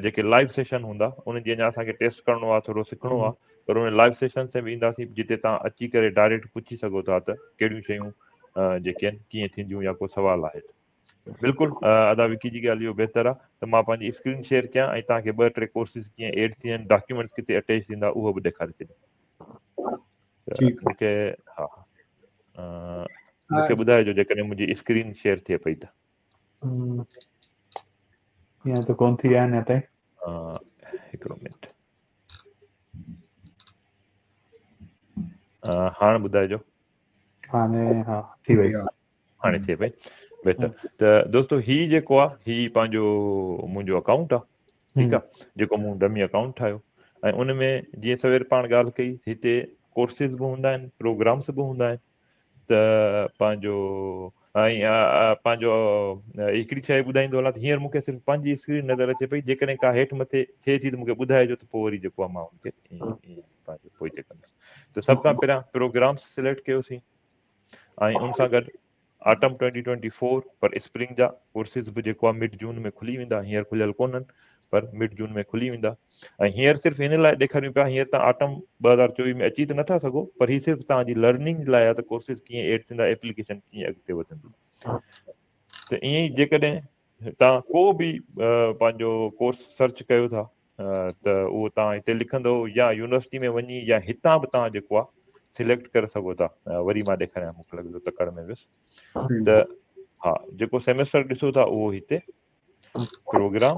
جيڪي لائيو سيشن هوندا انهن جي اڃا اسان کي ٽيسٽ ڪرڻو آهي ٿورو سکڻو آهي پر ان لائيو سيشن تي به اينداسين جتي توهان اچي ڪري ڊائريڪٽ پڇي سگهو ٿا ته ڪهڙيون شيون جيڪي آهن ڪيئن ٿينديون يا ڪو سوال آهي ته بلڪل ادا وڪي جي ڳالهه اهو بهتر آهي ته مان پنهنجي اسڪرين شيئر ڪيان ۽ توهان کي ٻه ٽي ڪورسز ڪيئن ايڊ ٿين ڊاڪيومينٽس ڪٿي اٽيچ ٿيندا اهو به ڏيکاري ڇڏيان ٺيڪ مونکي ها مونکي ٻڌائجو جيڪڏهن منهنجي اسڪرين شيئر ٿئي پئي ته ائين ته ڪون ٿي آهي اڃا تائين. هڪڙو منٽ هاڻ ٻڌائجو. هاڻي ها ٿي وئي. هاڻي ٿئي پئي بهتر ته دوستو هي جيڪو آ هي پنهنجو منهنجو اڪائونٽ آ ٺيڪ آ جيڪو مون ڊمي اڪائونٽ ٺاهيو ۽ ان ۾ جيئن سوير پاڻ ڳالهه ڪئي هتي ڪورسز به هوندا آهن پروگرامس به هوندا آهن ته پنهنجو ۽ پنهنجو هڪڙي شيء ٻڌائيندو هلان ته هينئر مون کي صرف پنهنجي اسڪرين نظر اچي پئي جيڪڏهن ڪا هيٺ مٿي ٿئي ٿي ته مون کي ٻڌائجو ته پوء وري جيڪو آهي مان ان کي پنهنجو پوئتي ڪندس ته سڀ کان پهريان پروگرامس سليڪٽ ڪيوسين ۽ ان سان گڏ آٽم 2024 پر اسپرنگ جا ڪورسز به جيڪو آهي مڊ جون ۾ کلي ويندا هينئر کليل ڪونهن پر مڊ جون ۾ کلي ويندا ۽ هينئر صرف هن لاء ڏيکاريون پيا هينئر توهان آٽم 2024 ۾ اچي ته نٿا سگهو پر هي صرف توهان جي لرننگ لاء آهي ته ڪورسز ڪيئن ايڊ ٿيندا ايپليڪيشن ڪيئن اڳتي وڌندي ته ائين ئي جيڪڏهن توهان ڪو به پنهنجو ڪورس سرچ ڪيو ٿا ته اهو توهان هتي لکندو يا يونيورسٽي ۾ وڃي يا هتان به توهان جيڪو آهي سليڪٽ ڪري سگهو ٿا. وري مان ڏيکاريان، مون کي لڳي ٿو تڪڙ ۾ ويس. ته ها جيڪو سيمسٽر ڏسو ٿا اهو هتي پروگرام،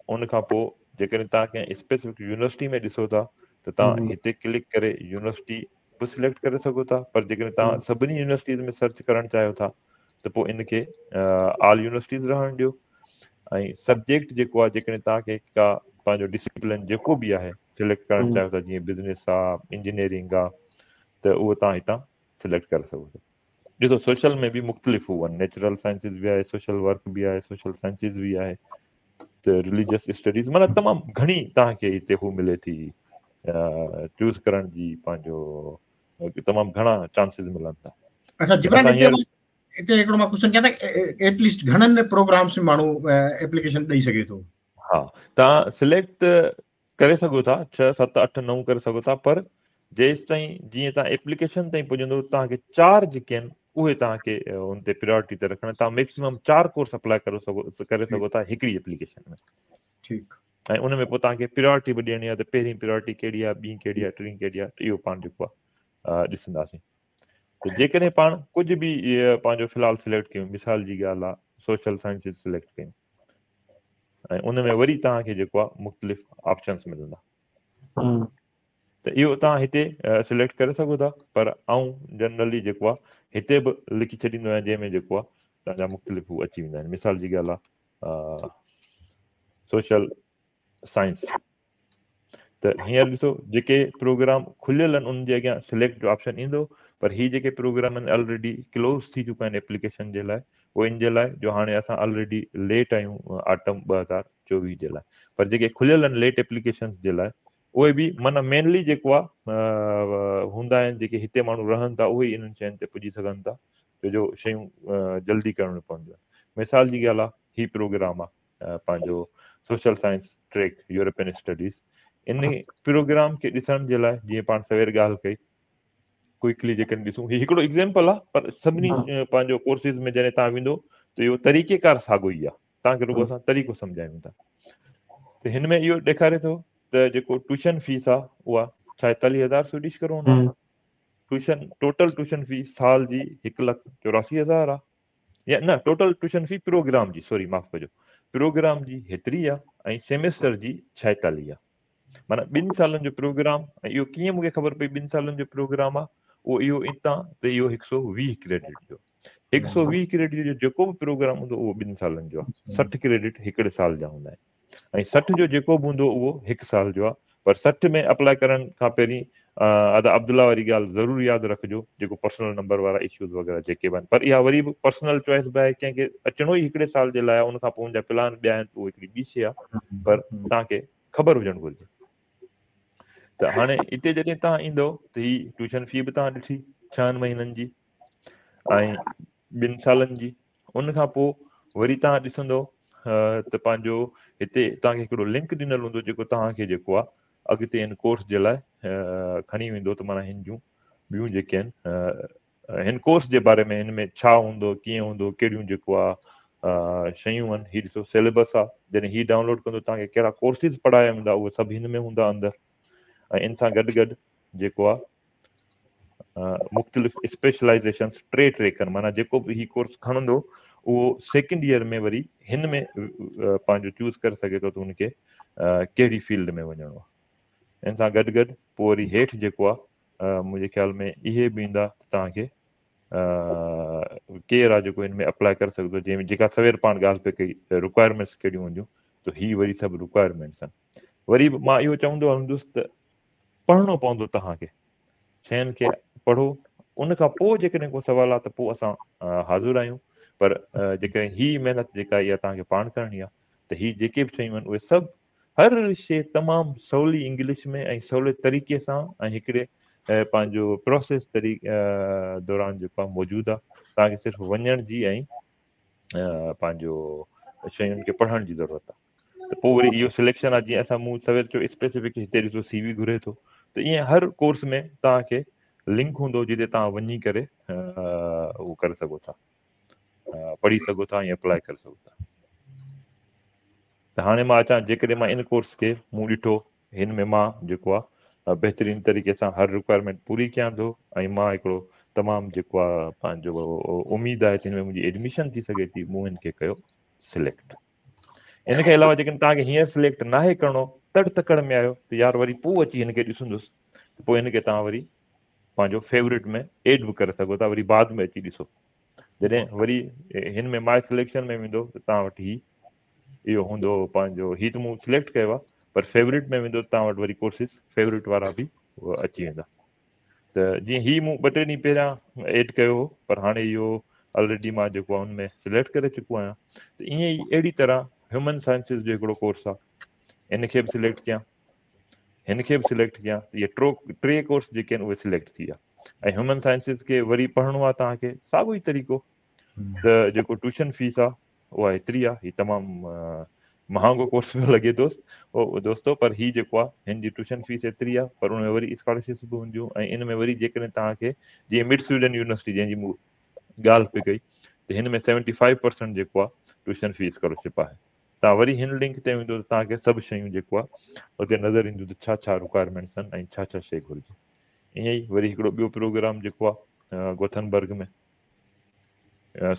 ان کان پوء جيڪڏهن توهان ڪنهن اسپيسفڪ يونيورسٽي ۾ ڏسو ٿا ته توهان هتي ڪلڪ ڪري يونيورسٽي به سليڪٽ ڪري سگهو ٿا. پر جيڪڏهن توهان سڀني يونيورسٽيز ۾ سرچ ڪرڻ چاهيو ٿا ته پوء ان کي آل يونيورسٽيز رهڻ ڏيو. ۽ سبجيڪٽ جيڪو آهي، جيڪڏهن توهان کي ڪا پنهنجو ڊسپلن جيڪو به آهي سليڪٽ ڪرڻ چاهيو ٿا، جيئن بزنس آهي، انجنيئرنگ آهي، ته اهو توهان هتان سليڪٽ ڪري سگهو ٿا. ڏسو سوشل ۾ به مختلف هو آهن، نيچرل سائنسز به آهي، سوشل ورڪ به آهي، سوشل سائنسز به آهي، ته رليجس اسٽڊيز، معنيٰ تمام گهڻي توهان کي هتي هو ملي ٿي چوز ڪرڻ جي، پنهنجو تمام گهڻا چانسز ملن ٿا. اچها جبران، هتي هڪڙو مان ڪوئسچن ڪيان ته ايٽ ليسٽ گهڻن پروگرامز ۾ ماڻهو ايپليڪيشن ڏئي سگهي ٿو؟ ها، توهان سليڪٽ ڪري سگهو ٿا، 6، 7، 8، 9 ڪري سگهو ٿا، پر جيستائين جيئن توهان ايپليڪيشن تائين پڄندو توهان کي 4 جيڪي آهن اهي توهان کي ان تي پريورٽي تي رکڻا. توهان ميڪسيمم 4 ڪورس اپلاء ڪري سگهو ٿا هڪڙي ايپليڪيشن ۾. ۽ ان ۾ پوء توهان کي پريورٽي به ڏيڻي آهي ته پهرين پريورٽي ڪهڙي آهي، ٻي ڪهڙي آهي، ٽين ڪهڙي آهي، ته اهو پاڻ جيڪو آهي ڏسنداسين. ته جيڪڏهن پاڻ ڪجهه به پنهنجو في الحال سليڪٽ ڪيون، مثال جي ڳالهه آهي سوشل سائنسز سليڪٽ ڪيون، ۽ ان ۾ وري توهان کي جيڪو آهي مختلف آپشنس ملندا، ته اهو توهان هتي سليڪٽ ڪري سگهو ٿا. پر آئون جنرلي جيڪو آهي هتي به لکي ڇڏيندو آهيان، جنهن ۾ جيڪو آهي توهان جا مختلف هو اچي ويندا آهن. مثال جي ڳالهه آهي سوشل سائنس، ته هينئر ڏسو جيڪي پروگرام کليل آهن انهن جي اڳيان سليڪٽ جو آپشن ايندو، پر هي جيڪي پروگرام آهن آلريڊي ڪلوز ٿي چڪا آهن ايپليڪيشن جي لاء، اهو ان جي لاء جو هاڻي اسان آلريڊي ليٽ آهيون آٽم 2024 جي لاء. پر جيڪي کليل آهن ليٽ ايپليڪيشنز جي لاء اهي به معنيٰ مينلي جيڪو آهي هوندا آهن جيڪي هتي ماڻهو رهن ٿا اهي ئي انهن شين تي پڄي سگهن ٿا، ڇو جو شيون جلدي ڪرڻيون پونديون آهن. مثال جي ڳالهه آهي هي پروگرام آهي پنهنجو social science track European studies, ان پروگرام کي ڏسڻ جي لاء جيئن پاڻ سوير ڳالهه ڪئي ڪوئڪلي جيڪڏهن ڏسون، هي هڪڙو ايگزامپل آهي، پر سڀني پنهنجو ڪورسز ۾ جڏهن توهان ويندو ته اهو طريقي ڪار ساڳو ئي آهي، توهان کي رڳو اسان طريقو سمجهايون ٿا. ته هن ۾ اهو ڏيکاري ٿو ته جيڪو ٽيوشن فيس آهي اها 46,000 سوئيڊش ڪرون آهي، ٽوٽل ٽيوشن فيس سال جي 1,84,000 آهي، يا نه ٽوٽل ٽيوشن في پروگرام جي، سوري معاف ڪجو، پروگرام جي هيتري آ ۽ سيمسٽر جي 46 آ، معنيٰ ٻن سالن جو پروگرام. ۽ اهو ڪيئن مونکي خبر پئي ٻن سالن جو پروگرام آ؟ اهو اهو اتان ته اهو 120 ڪريڊٽ جو، 120 ڪريڊٽ جو جيڪو به پروگرام هوندو اهو ٻن سالن جو آ. 60 ڪريڊٽ هڪڙي سال جا هوندا آهن ۽ 60 جو جيڪو به هوندو اهو هڪ سال جو آ. پر 60 ۾ اپلاء ڪرڻ کان پهرين ادا عبدالله واري ڳالهه ضرور ياد رکجو، جيڪو پرسنل نمبر وارا اشوز وغيره جيڪي به آهن، پر اها وري به پرسنل چوائس به آهي، ڪنهن کي اچڻو ئي هڪڙي سال جي لاء آهي، ان کان پوء ان جا پلان ٻيا آهن ته اهو هڪڙي ٻي شيء آهي، پر توهان کي خبر هجڻ گهرجي. ته هاڻي اتي جڏهن توهان ايندو ته هي ٽيوشن في به توهان ڏٺي 6 مهينن جي ۽ ٻن سالن جي. ان کان پوء وري توهان ڏسندو ته پنهنجو هتي توهان کي هڪڙو لنڪ ڏنل هوندو جيڪو توهان کي جيڪو آهي اڳتي هن ڪورس جي لاء کڻي ويندو، ته معنيٰ هن جون ٻيون جيڪي آهن هن ڪورس جي باري ۾ هن ۾ ڇا هوندو، ڪيئن هوندو، ڪهڙيون جيڪو آهي شيون آهن. هي ڏسو سيليبس آهي، جڏهن هي ڊائونلوڊ ڪندو توهان کي ڪهڙا ڪورسز پڙهايا ويندا اهي سڀ هن ۾ هوندا اندر. ۽ ان سان گڏ گڏ جيڪو آهي مختلف اسپيشلائزيشنس ٽي ٽريڪ آهن، معنيٰ جيڪو به هي ڪورس کڻندو اهو سيڪنڊ ايئر ۾ وري هن ۾ پنهنجو چوز ڪري سگهي ٿو ته هن کي ڪهڙي فيلڊ ۾ وڃڻو آهي. ان سان گڏ گڏ پوء وري هيٺ جيڪو آهي منهنجي خيال ۾ اهي به ايندا ته توهان کي ڪير آهي جيڪو هن ۾ اپلاء ڪري سگهي ٿو، جنهن ۾ جيڪا سوير پاڻ ڳالهه پئي ڪئي رڪوائرمينٽس ڪهڙيون هونديون، ته هي وري سڀ رڪوائرمينٽس آهن. وري به مان اهو چوندو هلندس ته پڙهڻو پوندو توهان کي، شين کي پڙهو، ان کان پوء جيڪڏهن ڪو سوال آهي ته پوء اسان حاضر آهيون، پر جيڪڏهن هي محنت جيڪا اها توهان کي پاڻ ڪرڻي آهي ته هي جيڪي به شيون آهن اهي سڀ هر شي تمام سولي انگلش ۾ ۽ سولي طريقي سان ۽ هڪڙي پنهنجو پروسيس طريقي دوران جيڪو آهي موجود آهي، توهان کي صرف وڃڻ جي ۽ پنهنجو شين کي پڙهڻ جي ضرورت آهي. ته پوء وري اهو سليڪشن آهي، جيئن اسان مون سوير چيو اسپيسفڪ هتي ڏسو سي وي گهري ٿو، ته ائين هر ڪورس ۾ توهان کي لنڪ هوندو جتي توهان وڃي ڪري اهو ڪري سگهو ٿا، پڙهي سگهو ٿا ۽ اپلاء ڪري سگهو ٿا. ته هاڻي مان اچان، جيڪڏهن مان ان ڪورس کي مون ڏٺو هن ۾ مان جيڪو آهي بهترين طريقي سان هر رڪوائرمينٽ پوري ڪيان ٿو ۽ مان هڪڙو تمام جيڪو آهي پنهنجو اميد آهي ته هن ۾ منهنجي ايڊميشن ٿي سگهي ٿي، مون هن کي ڪيو سليڪٽ. ان کان علاوه جيڪڏهن توهان کي هينئر سليڪٽ ناهي ڪرڻو، تڙ تڪڙ ۾ آهيو ته يار وري پوء اچي هن کي ڏسندس، ته پوء هن کي توهان وري پنهنجو فيورٽ ۾ ايڊ به ڪري سگهو ٿا، وري بعد ۾ اچي ڏسو. جڏهن وري هن ۾ ماء سليڪشن ۾ ويندو ته توهان وٽ هي اهو هوندو پنهنجو، هي ته مون سليڪٽ ڪيو آهي پر فيورٽ ۾ ويندو ته توهان وٽ وري ڪورسز فيورٽ وارا به اچي ويندا. ته جيئن هي مون ٻه ٽي ڏينهن پهريان ايڊ ڪيو هو پر هاڻي اهو آلريڊي مان جيڪو آهي ان ۾ سليڪٽ ڪري چڪو آهيان. ته ائين ئي اهڙي طرح هيومن سائنسز جو هڪڙو ڪورس آهي، ان کي به سليڪٽ ڪيان، هن کي به سليڪٽ ڪيان ته اهي ٽي ڪورس جيڪي آهن اهي سليڪٽ ٿي ويا. ۽ هيومن سائنسز کي وري پڙهڻو آهي توهان کي ساڳيو ئي طريقو ته جيڪو ٽيوشن فيس آهي اها ايتري آهي، هي تمام مهانگو ڪورس پيو لڳي دوست او دوستو، پر هي جيڪو آهي هن جي ٽيوشن فيس ايتري آهي پر ان ۾ وري اسڪالرشپس به هونديون. ۽ ان ۾ وري جيڪڏهن توهان کي جيئن مڊ سويڊن يونيورسٽي جنهن جي مون ڳالهه پئي ڪئي ته هن ۾ 75% جيڪو آهي ٽيوشن في اسڪالرشپ آهي. توهان وري هن لنڪ تي ويندو ته توهان کي سڀ شيون جيڪو آهي اتي نظر اينديون ته ڇا ڇا رڪوائرمينٽس آهن ۽ ڇا ڇا شيء گهرجي. ائين ئي وري هڪڙو ٻيو پروگرام جيڪو آهي Gothenburg ۾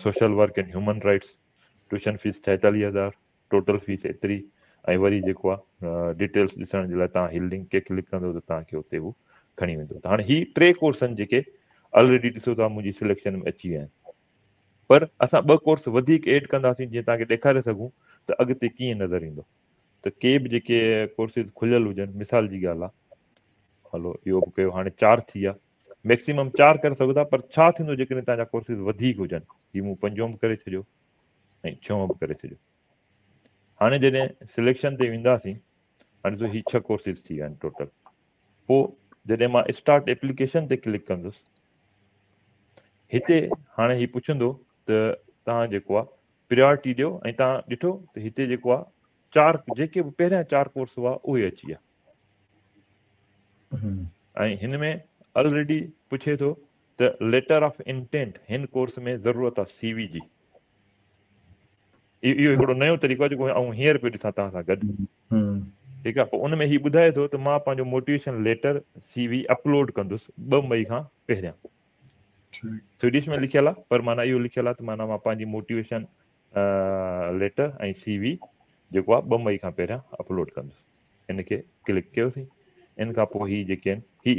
social work and human rights, tuition fees 46,000، total fees ايتري. ۽ وري جيڪو آهي ڊيٽيلس ڏسڻ جي لاء توهان هي لنڪ کي ڪلڪ ڪندو ته توهان کي اتي هو کڻي ويندو. ته هاڻي هي ٽي ڪورس آهن جيڪي آلريڊي ڏسو ٿا منهنجي سليڪشن ۾ اچي ويا آهن، پر اسان ٻه ڪورس وڌيڪ ايڊ ڪنداسين جيئن توهان کي ڏيکاري سگهون ته اڳتي ڪيئن نظر ايندو. ته ڪي به جيڪي ڪورسز کليل هجن، مثال جي ڳالهه آهي، هلو اهو به ڪيو، هاڻي 4 ٿي ويا، ميڪسيمم 4 ڪري سگهو ٿا، پر ڇا ٿيندو جيڪڏهن توهان جا ڪورسز وڌيڪ هجن؟ هي مون پنجون به ڪري ڇڏيو ۽ ڇهون به ڪري ڇڏيو. هاڻي جڏهن سليڪشن تي وينداسين، هاڻي ڏسو هي 6 ڪورسز ٿي ويا آهن ٽوٽل. پوء جڏهن مان اسٽارٽ ايپليڪيشن تي ڪلڪ ڪندس، هتي هاڻي هي پڇندو ته توهان جيڪو آهي پريارٽي ڏيو، ۽ توهان ڏٺو ته هتي جيڪو آهي 4 جيڪي به پهريان 4 ڪورس هئا اهي اچي ويا. ۽ هن ۾ آلريڊي پڇي ٿو ته ليٽر آف انٽينٽ هن ڪورس ۾ ضرورت آهي سي وي جي. اهو هڪڙو نيو طريقو آهي جيڪو آئون هينئر پيو ڏسان توهان سان گڏ، ٺيڪ آهي. پوء ان ۾ هي ٻڌائي ٿو ته مان پنهنجو موٽيويشن ليٽر سي وي اپلوڊ ڪندس 2 مئي کان پهريان. سويڊش ۾ لکيل آهي پر معنيٰ اهو لکيل آهي ته معنيٰ مان پنهنجي موٽيويشن ليٽر ۽ سي وي جيڪو آهي 2 مئي کان پهريان اپلوڊ ڪندس. ان کي ڪلڪ ڪيوسين، ان کان پوء هي جيڪي آهن هي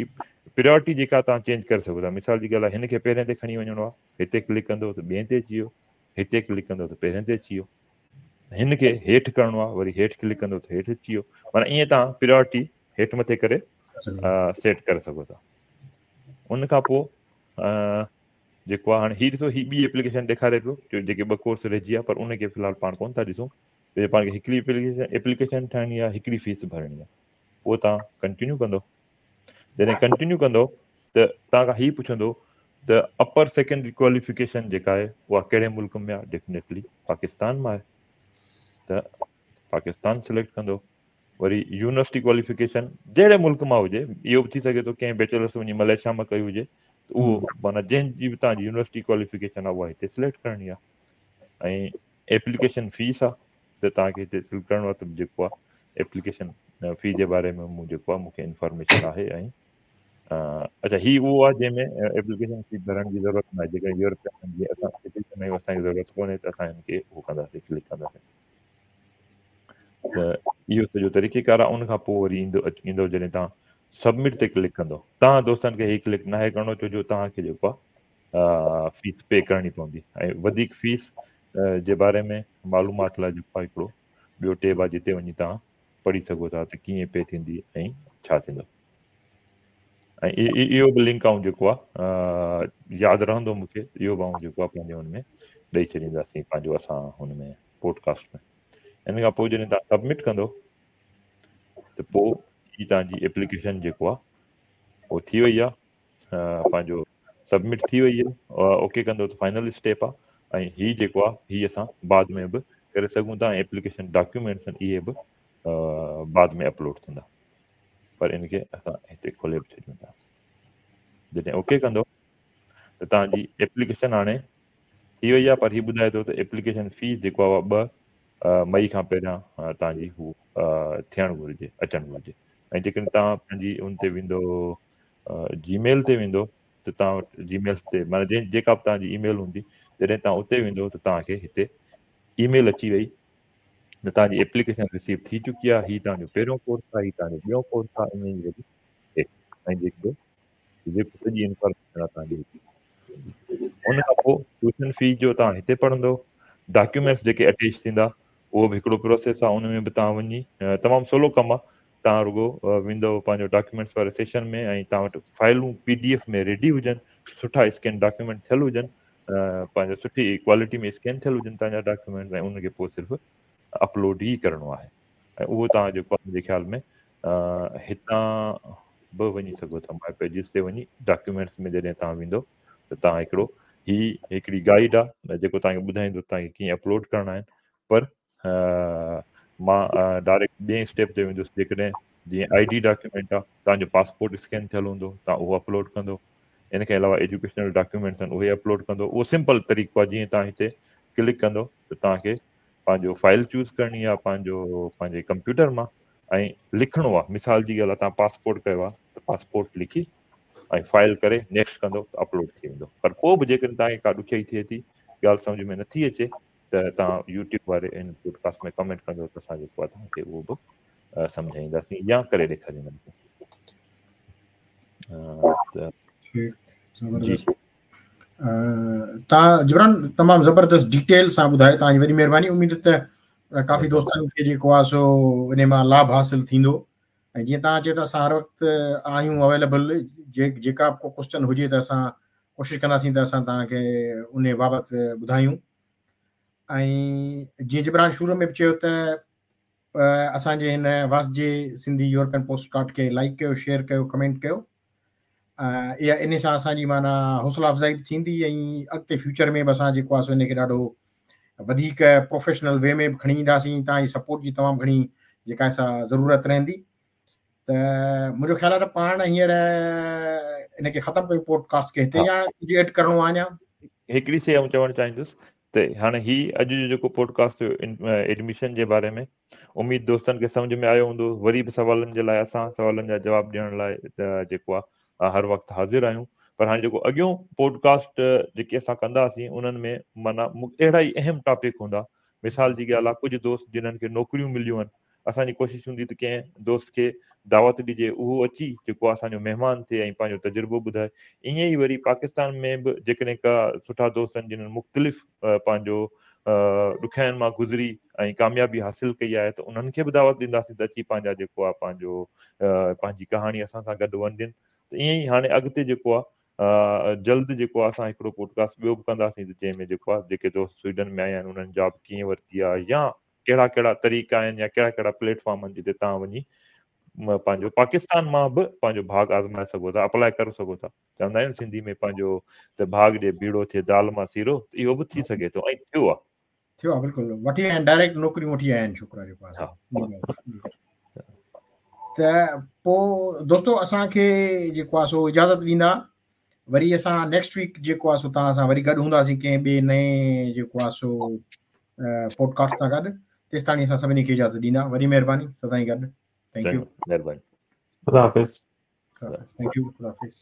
پريورٽي جيڪا توهان چينج ڪري سگهو ٿا. مثال جي ڳالهه آهي هن کي پهرين تي کڻي وڃڻو آهي، هتي ڪلڪ ڪندو ته ٻئي تي اچي ويو، هتي ڪلڪ ڪندو ته پهرين تي اچي ويو، هن کي هيٺ ڪرڻو آهي وري هيٺ ڪلڪ ڪندو ته هيٺ اچي ويو. معنيٰ ائين توهان پريورٽي هيٺ مٿي ڪري سيٽ ڪري سگهو ٿا. ان کان پوء جيڪو آهي هاڻي هي ڏسو هي ٻي ايپليڪيشن ڏيکاري پيو جو جيڪي ٻه ڪورس رهجي ويا، پر ان کي في الحال پاڻ ڪونه ٿا ڏسون. جو پاڻ کي هڪڙي ايپليڪيشن ٺاهڻي آهي، هڪڙي فيس ڀرڻي آهي، اهو توهان ڪنٽينيو ڪندو. جڏهن ڪنٽينيو ڪندو ته توهان کان هي پڇندو ته اپر سيڪنڊري ڪواليفڪيشن جيڪا آهي اها ڪهڙي ملڪ ۾ آهي؟ ڊيفينيٽلي پاڪستان مان آهي ته پاڪستان سليڪٽ ڪندو. وري يونيورسٽي ڪواليفڪيشن جهڙي ملڪ مان هجي، اهو به ٿي سگهي ٿو ڪنهن بيچلرس وڃي ملائيشيا مان ڪئي هجي، ته اهو معنيٰ جنهن جي به توهان جي يونيورسٽي ڪواليفڪيشن آهي اها هتي سليڪٽ ڪرڻي آهي. ۽ ايپليڪيشن فيس آ ته توهان کي هتي سليڪٽ ڪرڻو آ ته جيڪو آ ايپليڪيشن في جي باري ۾ مون جيڪو آ مون کي انفارميشن آهي. ۽ اچها هي اهو آ جنهن ۾ ايپليڪيشن في ڀرڻ جي ضرورت نه آهي، جيڪڏهن يورپين جي اسان سٽيزن آهيون اسان کي ضرورت ڪونهي ته اسان هن کي اهو ڪنداسين ڪلڪ ڪنداسين. ته اهو سڄو طريقي ڪار آ. ان کان پوء وري ايندو جڏهن توهان سبمٽ تي ڪلڪ ڪندو، توهان دوستن کي هي ڪلڪ ناهي ڪرڻو ڇو جو توهان کي جيڪو آ فيس پي ڪرڻي پوندي. ۽ وڌيڪ فيس جي باري ۾ معلومات لاء جيڪو آهي هڪڙو ٻيو ٽيب آهي جتي وڃي توهان پڙهي سگهو ٿا ته ڪيئن پي ٿيندي ۽ ڇا ٿيندو. ۽ اهو به لنڪ آئون جيڪو آهي ياد رهندو مون کي، اهو به آئون جيڪو آهي پنهنجي هن ۾ ڏئي ڇڏينداسين پنهنجو اسان هن ۾ پوڊڪاسٽ ۾. ان کان پوء جڏهن توهان سبمٽ ڪندو ته پوء هي توهان جي ايپليڪيشن جيڪو آهي اهو ٿي وئي آهي، پنهنجو سبمٽ ٿي وئي آهي، اوڪي ڪندو ته فائنل اسٽيپ آهي. ۽ هي جيڪو آهي هي اسان بعد ۾ به ڪري سگهون ٿا ۽ ايپليڪيشن ڊاڪيومينٽس آهن اهي به بعد ۾ اپلوڊ ٿيندا، پر ان کي اسان هتي کولي به ڇڏيون ٿا. جڏهن اوڪي ڪندو ته توهان جي ايپليڪيشن هاڻي ٿي وئي آهي، پر هي ٻڌائي ٿو ته ايپليڪيشن فيس جيڪو آهي اها 2 مئي کان پهريان توهان جي هو ٿيڻ گهرجي، اچڻ گهرجي. ۽ جيڪڏهن توهان پنهنجي ان تي ويندو جي ميل تي ويندو ته توهان وٽ جي ميل تي معنيٰ جنهن جيڪا به توهان جي اي ميل هوندي، جڏهن توهان اتي ويندو ته توهان کي هتي اي ميل اچي وئي ته توهان جي ايپليڪيشن رسيو ٿي چڪي آهي، هي توهان جو پهريون ڪورس آهي، هي توهان جو ٻيون ڪورس آهي، ائين ئي وري ۽ جيڪو جيڪو سڄي انفارميشن آهي توهان جي ان کان پوء ٽيوشن في جو توهان هتي پڙهندو، ڊاڪيومينٽس جيڪي اٽيچ ٿيندا اهو به هڪڙو پروسيس آهي، ان ۾ به توهان وڃي تمام سولو ڪم آهي، توهان رڳو ويندو پنهنجو ڊاڪيومينٽس واري سيشن ۾ ۽ توهان وٽ فائلون پي ڊي ايف ۾ ريڊي هجن، سٺا اسڪين ڊاڪيومينٽ ٿيل هجن، پنهنجو سٺي ڪوالٽي ۾ اسڪين ٿيل هجن توهان جا ڊاڪيومينٽس ۽ ان کي پوء صرف اپلوڊ ئي ڪرڻو آهي ۽ اهو توهان جيڪو منهنجي خيال ۾ هتان به وڃي سگهو ٿا، ماء پيجز تي وڃي ڊاڪيومينٽس ۾ جڏهن توهان ويندو ته توهان هڪڙو هي هڪڙي گائيڊ آهي جيڪو توهان کي ٻڌائيندو توهان کي ڪيئن اپلوڊ ڪرڻا آهن، پر مان ڊائريڪٽ ٻئي اسٽيپ تي ويندس. جيڪڏهن جيئن I D document آهي، توهان جو پاسپورٽ اسڪين ٿيل هوندو، توهان اهو اپلوڊ ڪندو، ان کان علاوه ايجوڪيشنل ڊاڪيومينٽس آهن اهي اپلوڊ ڪندو. اهو سمپل طريقو آهي، جيئن توهان هتي ڪلڪ ڪندو ته توهان کي پنهنجو فائل چوز ڪرڻي آهي پنهنجو پنهنجي ڪمپيوٽر مان ۽ لکڻو آهي. مثال جي ڳالهه آهي، توهان پاسپورٽ ڪيو آهي ته پاسپورٽ لکي ۽ فائل ڪري نيڪسٽ ڪندو ته اپلوڊ ٿي ويندو. پر پوء به جيڪڏهن توهان کي ڪا ڏکيائي ٿئي ٿي، ڳالهه سمجهه ۾ نٿي اچي ته توهان يوٽيوب واري ان پوڊڪاسٽ ۾ ڪمينٽ ڪندو ته اسان جيڪو آهي توهان کي اهو به سمجهائينداسين يا ڪري ڏيکارينداسين. ٺيڪ، زبردست. توهان جبران تمام زبردست ڊيٽيل سان ٻڌايو، توهان جي وڏي مهرباني. اميد ته ڪافي دوستن کي جيڪو آهي سو ان مان لاڀ حاصل ٿيندو ۽ جيئن توهان چيو ته اسان هر وقت آهيون اويليبل، جيڪا به ڪو ڪوشچن هجي ته اسان ڪوشش ڪنداسين ته اسان توهان کي ان بابت ٻڌايون. ۽ جيئن جبران شروع ۾ به چيو ته اسان جي هن واسجي سنڌي يورپين پوسٽ ڪارڊ کي لائڪ ڪيو، شيئر ڪيو، ڪمينٽ ڪيو. اها ان سان اسان جي معنيٰ حوصلا افزائي به ٿيندي ۽ اڳتي فيوچر ۾ به اسان جيڪو آهي سو ان کي ڏاڍو وڌيڪ پروفيشنل وي ۾ به کڻي اينداسين. توهان جي سپورٽ جي تمام گهڻي جيڪا سا ضرورت رهندي. ته منهنجو خيال آهي ته پاڻ هينئر ان کي ختم ڪيون پوڊڪاسٽ کي هتي، يا ڪجهه ايڊ ڪرڻو آهي اڃا؟ هڪڙي شيء آئون چوڻ چاهيندس ته هاڻي هي اڄ جو جيڪو پوڊڪاسٽ هيو ايڊميشن جي باري ۾، اميد دوستن کي سمجهه ۾ آيو هوندو. وري به سوالن جي لاء اسان سوالن جا جواب ڏيڻ لاء جيڪو آهي هر وقت حاضر آهيون. پر هاڻي جيڪو اڳيون پوڊڪاسٽ جيڪي اسان ڪنداسين انهن ۾ معنيٰ اهڙا ئي اهم ٽاپڪ هوندا. مثال جي ڳالهه آهي، ڪجهه دوست جنهن کي نوڪريون مليون آهن، اسان جي ڪوشش هوندي ته ڪنهن دوست کي دعوت ڏجي، اهو اچي جيڪو اسان جو مهمان ٿئي ۽ پنهنجو تجربو ٻڌائي. ائين ئي وري پاڪستان ۾ به جيڪڏهن ڪا سٺا دوست آهن جنهن مختلف پنهنجو ڏکيائين مان گذري ۽ ڪاميابي حاصل ڪئي آهي ته انهن کي به دعوت ڏينداسين ته اچي پنهنجا جيڪو آهي پنهنجو پنهنجي ڪهاڻي اسان سان گڏ ونڊين. ته ائين ئي هاڻي اڳتي جيڪو آهي جلد جيڪو آهي اسان هڪڙو پوڊڪاسٽ ٻيو به ڪنداسين ته جنهن ۾ جيڪو آهي جيڪي دوست سوئيڊن ۾ آيا آهن انهن جاب ڪيئن ورتي آهي يا ڪهڙا ڪهڙا طريقا آهن يا ڪهڙا ڪهڙا پليٽ فارم آهن جتي توهان وڃي پنهنجو پاڪستان مان به پنهنجو ڀاڳ آزمائي سگهو ٿا، اپلائي ڪري سگهو ٿا. چوندا آهيون سنڌي ۾ پنهنجو ته ڀاڳ ڏي ڀيڙو ٿئي دال مان سيرو، ته اهو به ٿي سگهي ٿو ۽ ٿيو آهي. ٿيو آهي بلڪل، وٺي آيا آهن ڊائريڪٽ نوڪريون وٺي آيا آهن، شڪر آهي جيڪو آهي. ته پوء دوستو اسان کي جيڪو آهي سو اجازت ڏيندا، وري اسان نيڪسٽ ويڪ جيڪو آهي سو توهان سان وري گڏ هونداسين ڪنهن ٻئي نئين جيڪو آهي سو پوڊڪاسٽ سان گڏ. تيستاڻي اسان سڀني کي اجازت ڏيندا. وڏي مهرباني، سدائين گڏ. Thank you, مهرباني، خدا حافظ. Thank you, خدا حافظ.